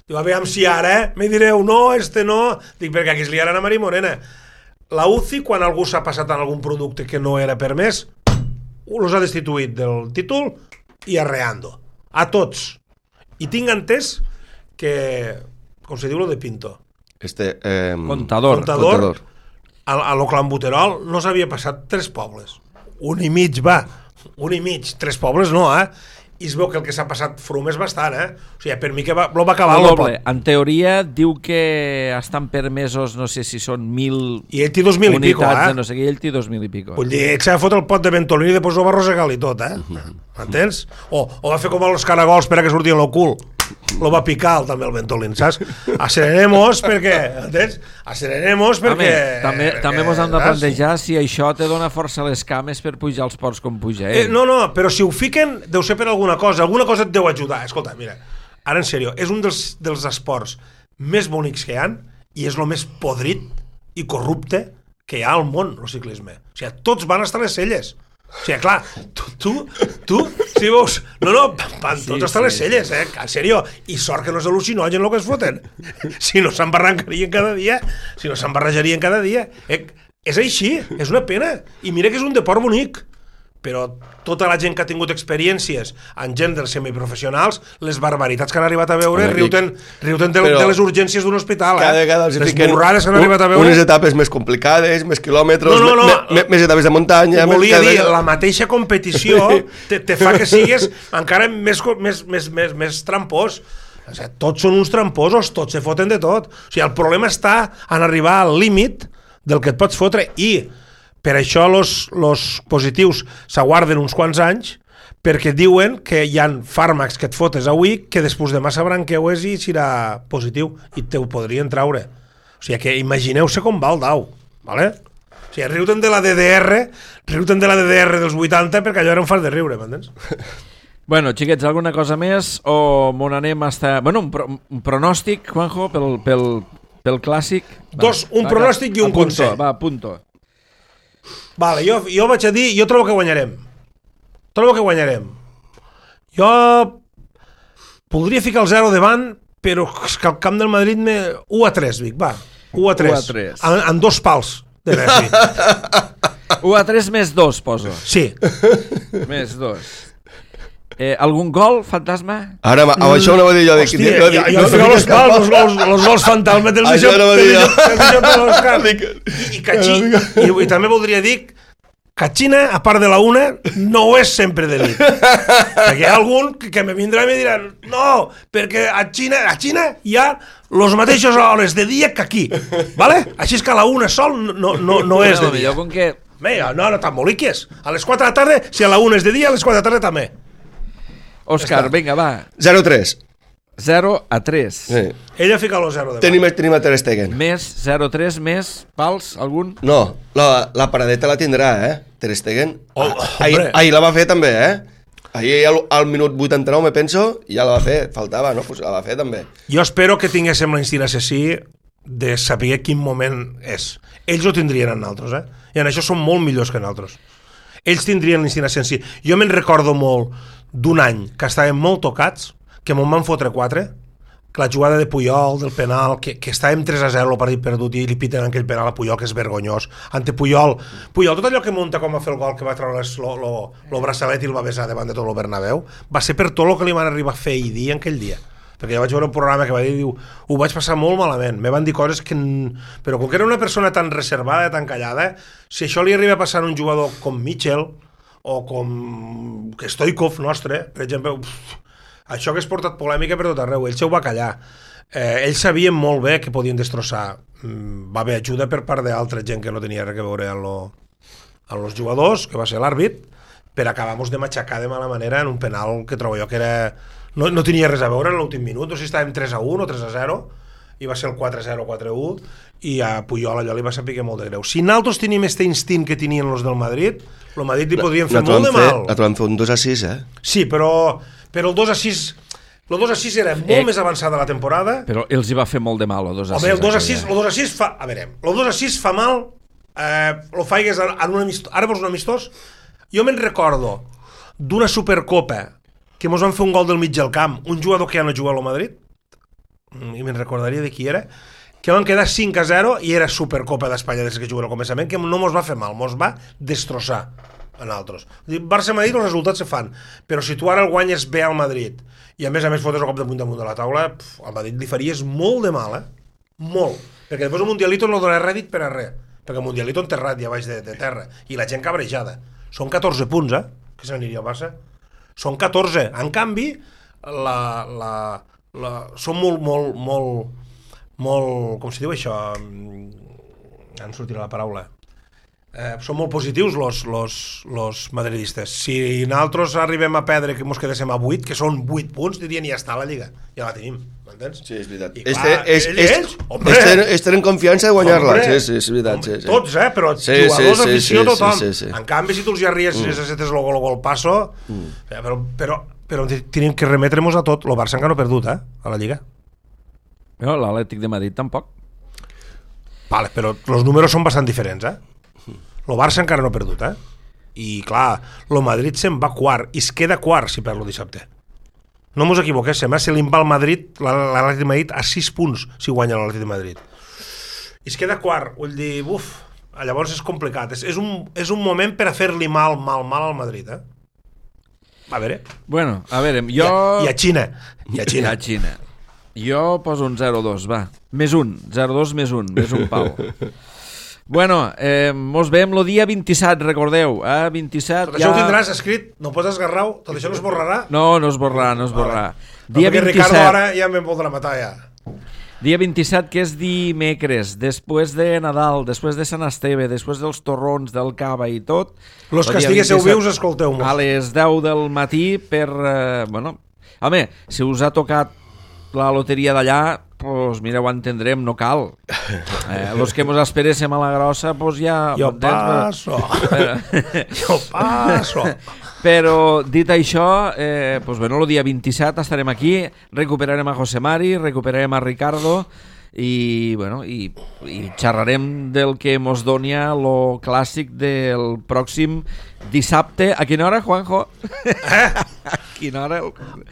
C: Diu, aviam si ara me direu, no, no. Dic, perquè aquí es liaran a Mari Morena. La UCI, quan algú s'ha passat en algun producte que no era permès, els ha destituït del títol i arreando. A tots. I tinc entès que, com se diu lo de Pinto?
B: Contador.
C: A lo clambuterol no s'havia passat 3 pobles. 1 i mig, va. 1 i mig. 3 pobles no, I es veu que el que s'ha passat Fromm és bastant, O sigui, per mi que va acabar el doble.
B: En teoria diu que estan permesos, no sé si són 1.000
C: i ell té 2.000 i pico,
B: no sé què, ell té 2.000 i pico.
C: Vull dir, ell s'ha de fotre el pot de Ventolin i després ho va arrossegar i tot, Entens? O va fer com els caragols per a que sortien el cul. Lo va picar també el Ventolin, saps? Acerenemos perquè, entens? Acerenemos perquè...
B: També mos hem de plantejar si això te dona força a les cames per pujar els ports com puja ell.
C: No, però si ho fiquen deu ser per alguna cosa et deu ajudar. Escolta, mira, ara en sèrio, és un dels esports més bonics que hi ha i és el més podrit i corrupte que hi ha al món, el ciclisme. O sigui, tots van estar a les celles. O sigui, clar, tu si veus... van tots estar a les celles, en sèrio. I sort que no és al·lucinogen el que es foten. Si no s'embarrancarien cada dia, És així, és una pena. I mira que és un deport bonic, però tota la gent que ha tingut experiències en gent dels semiprofessionals, les barbaritats que han arribat a veure, riu-te'n de les urgències d'un hospital.
D: Cada vegada els
C: les
D: fiquen
C: burrades que han arribat a veure...
D: unes etapes més complicades, més quilòmetres, més etapes de muntanya...
C: Volia dir, la mateixa competició te fa que sigues encara més trampós. O sigui, tots són uns tramposos, tots se foten de tot. O sigui, el problema està en arribar al límit del que et pots fotre, i per això los positius s'aguarden uns quants anys, perquè diuen que hi ha fàrmacs que et fotes avui que després demà sabran que ho és i serà positiu i te ho podrien traure. O sigui que imagineu-se com va el dau, ¿vale? O sigui, riu-te'n de la DDR dels 80 perquè allò era un fart de riure, m'entens?
B: Bueno, xiquets, alguna cosa més o m'on anem hasta... Bueno, un pronòstic, Juanjo, pel clàssic?
C: Un pronòstic i un consell.
B: Va, apunto.
C: Vale, jo vaig a dir, jo trobo que guanyarem. Jo podria ficar el 0 davant, però és que el camp del Madrid 1-3, Vic, va. 1-3. En 2 pals de Messi.
B: 1-3 més 2, poso.
C: Sí.
B: Més 2. Algun gol, fantasma?
D: Ara, això ho anava a dir jo.
C: Hòstia, jo fico els pals, els gols fantasma te'ls deixo per l'Òscar. I també voldria dir que a Xina, a part de la una, no ho és sempre de nit. Perquè hi ha algun que me vindrà i me diran no, perquè a Xina hi ha els mateixos hores de dia que aquí. ¿Vale? Així és que a la una sol no és de dia. No, t'emboliques. A les 4 de la tarda, si a la una és de dia, a les 4 de la tarda també.
B: Òscar, vinga, va.
D: 0-3.
B: 0-3.
D: Sí.
C: Ella fica el 0 de
D: Tenim a Ter Stegen.
B: Més 0-3, més pals, algun?
D: No, la paradeta la tindrà, Ter Stegen.
C: Ahir
D: la va fer també, Ahir al minut 89, me penso, ja la va fer. Faltava, no? Pues la va fer també.
C: Jo espero que tinguéssim la instinct assassí de saber quin moment és. Ells ho tindrien en altres, I en això són molt millors que en altres. Ells tindrien l'instinct assassí. Jo me'n recordo molt d'un any que estàvem molt tocats, que me'n van fotre 4, que la jugada de Puyol, del penal, que estàvem 3-0 el partit perdut i li piten aquell penal a Puyol, que és vergonyós. Ante Puyol, tot allò que munta com a fer el gol, que va treure el braçalet i el va besar davant de tot el Bernabéu, va ser per tot el que li van arribar a fer i dir aquell dia. Perquè jo vaig veure un programa que va dir, ho vaig passar molt malament, me van dir coses que... Però com que era una persona tan reservada, tan callada, si això li arriba a passar a un jugador com Mitchell, o com Stoikov nostre, per exemple, això que és portat polèmica per tot arreu, ell se ho va callar. Ells sabien molt bé que podien destrossar. Va haver ajuda per part d'altra gent que no tenia res a veure amb els jugadors, que va ser l'àrbit, per acabar-nos de matxacar de mala manera en un penal que trobo jo que era... No tenia res a veure en l'últim minut, no sé si estàvem 3-1 o 3-0, i va ser el 4-0 o 4-1, i a Puyol allò li va saber molt de greu. Si nosaltres tenim aquest instint que tenien els del Madrid, el Madrid li podríem fer molt de mal.
D: La trobem fer un 2-6,
C: Sí, però el 2-6... El 2-6 era molt més avançada la temporada.
B: Però els hi va fer molt de mal, el 2-6.
C: Home, el 2-6 fa... A veure, el 2-6 fa mal, lo faigues en un amistós. Ara vols un amistós? Jo me'n recordo d'una Supercopa que mos van fer un gol del mig del camp, un jugador que ja no juga al Madrid, i me'n recordaria de qui era, que van quedar 5-0 i era Supercopa d'Espanya des que juguen al començament, que no mos va fer mal, mos va destrossar a nosaltres. Barça-Madrid els resultats se fan, però si tu ara el guanyes bé al Madrid i a més fotes el cop de damunt de la taula, al Madrid li faries molt de mal, molt, perquè després el Mundialito no dona rèdit per a res, perquè el Mundialito enterrat ja baix de terra i la gent cabrejada. Són 14 punts, que se n'aniria al Barça. Són 14. En canvi, són molt, com se diu això? Em sortirà la paraula. Són molt positius los madridistes. Si nosaltres arribem a perdre, que mos quedéssim a 8, que són 8 punts, dirien ja està la Lliga. Ja la tenim, m'entens?
D: Sí, és veritat.
C: Ells
D: tenen confiança de guanyar-la. Sí, és veritat.
C: Tots, però jugadors, afició, tothom. En canvi, si tu els ja ries, necessites el gol passo, però tenim que remetre-nos a tot. El Barça encara no ha perdut, a la Lliga.
B: No, l'Atlètic de Madrid tampoc.
C: Vale, però els números són bastant diferents, El Barça encara no ha perdut, I clar, el Madrid se'n va quart, i es queda quart si perd el dissabte. No mos equivoquéssim, se li va al Madrid, l'Atlètic de Madrid, a 6 punts si guanya l'Atlètic de Madrid. I es queda quart, vull dir, Llavors és complicat. És un moment per a fer-li mal al Madrid, eh? A veure.
B: Bueno, a veure, jo...
C: I a Xina.
B: I a Xina. Jo poso un 0-2, va. Més un. 0-2 més un pau. Bueno, mos veiem el dia 27, recordeu. 27
C: tot això ho tindràs escrit, no pots esgarrar-ho, tot això no es borrarà?
B: No es borrarà.
C: Dia 27. Ricardo ara ja me'n voldrà matar, ja.
B: Dia 27, que és dimecres, després de Nadal, després de Sant Esteve, després dels torrons, del cava i tot.
C: Los que estiguéssiu vius, escolteu-nos.
B: A les 10 del matí per... Home, si us ha tocat la loteria d'allà, pues mira, ho entendrem, no cal. Los que mos esperéssim a la grossa, pues ja...
C: Jo passo.
B: Però dit això, pues bueno, el dia 27 estarem aquí, recuperarem a José Mari, recuperarem a Ricardo i xerrarem del que mos donia lo clàssic del pròxim dissabte. A quina hora, Juanjo? A quina hora?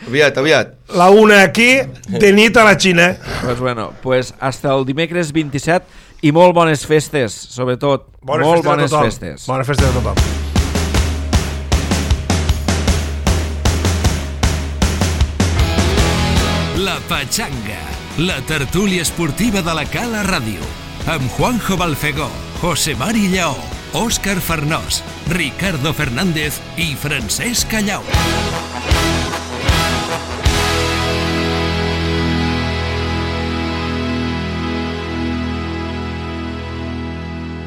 D: Aviat.
C: La una aquí, de nit a la Xina.
B: Pues bueno, pues hasta el dimecres 27 i molt bones festes, sobretot. Molt bones festes.
C: Bones festes a tothom.
A: La Pachanga, la tertúlia esportiva de la Cala Ràdio, amb Juanjo Balfegó, José Mari Lleó, Òscar Farnós, Ricardo Fernández i Francesc Callau.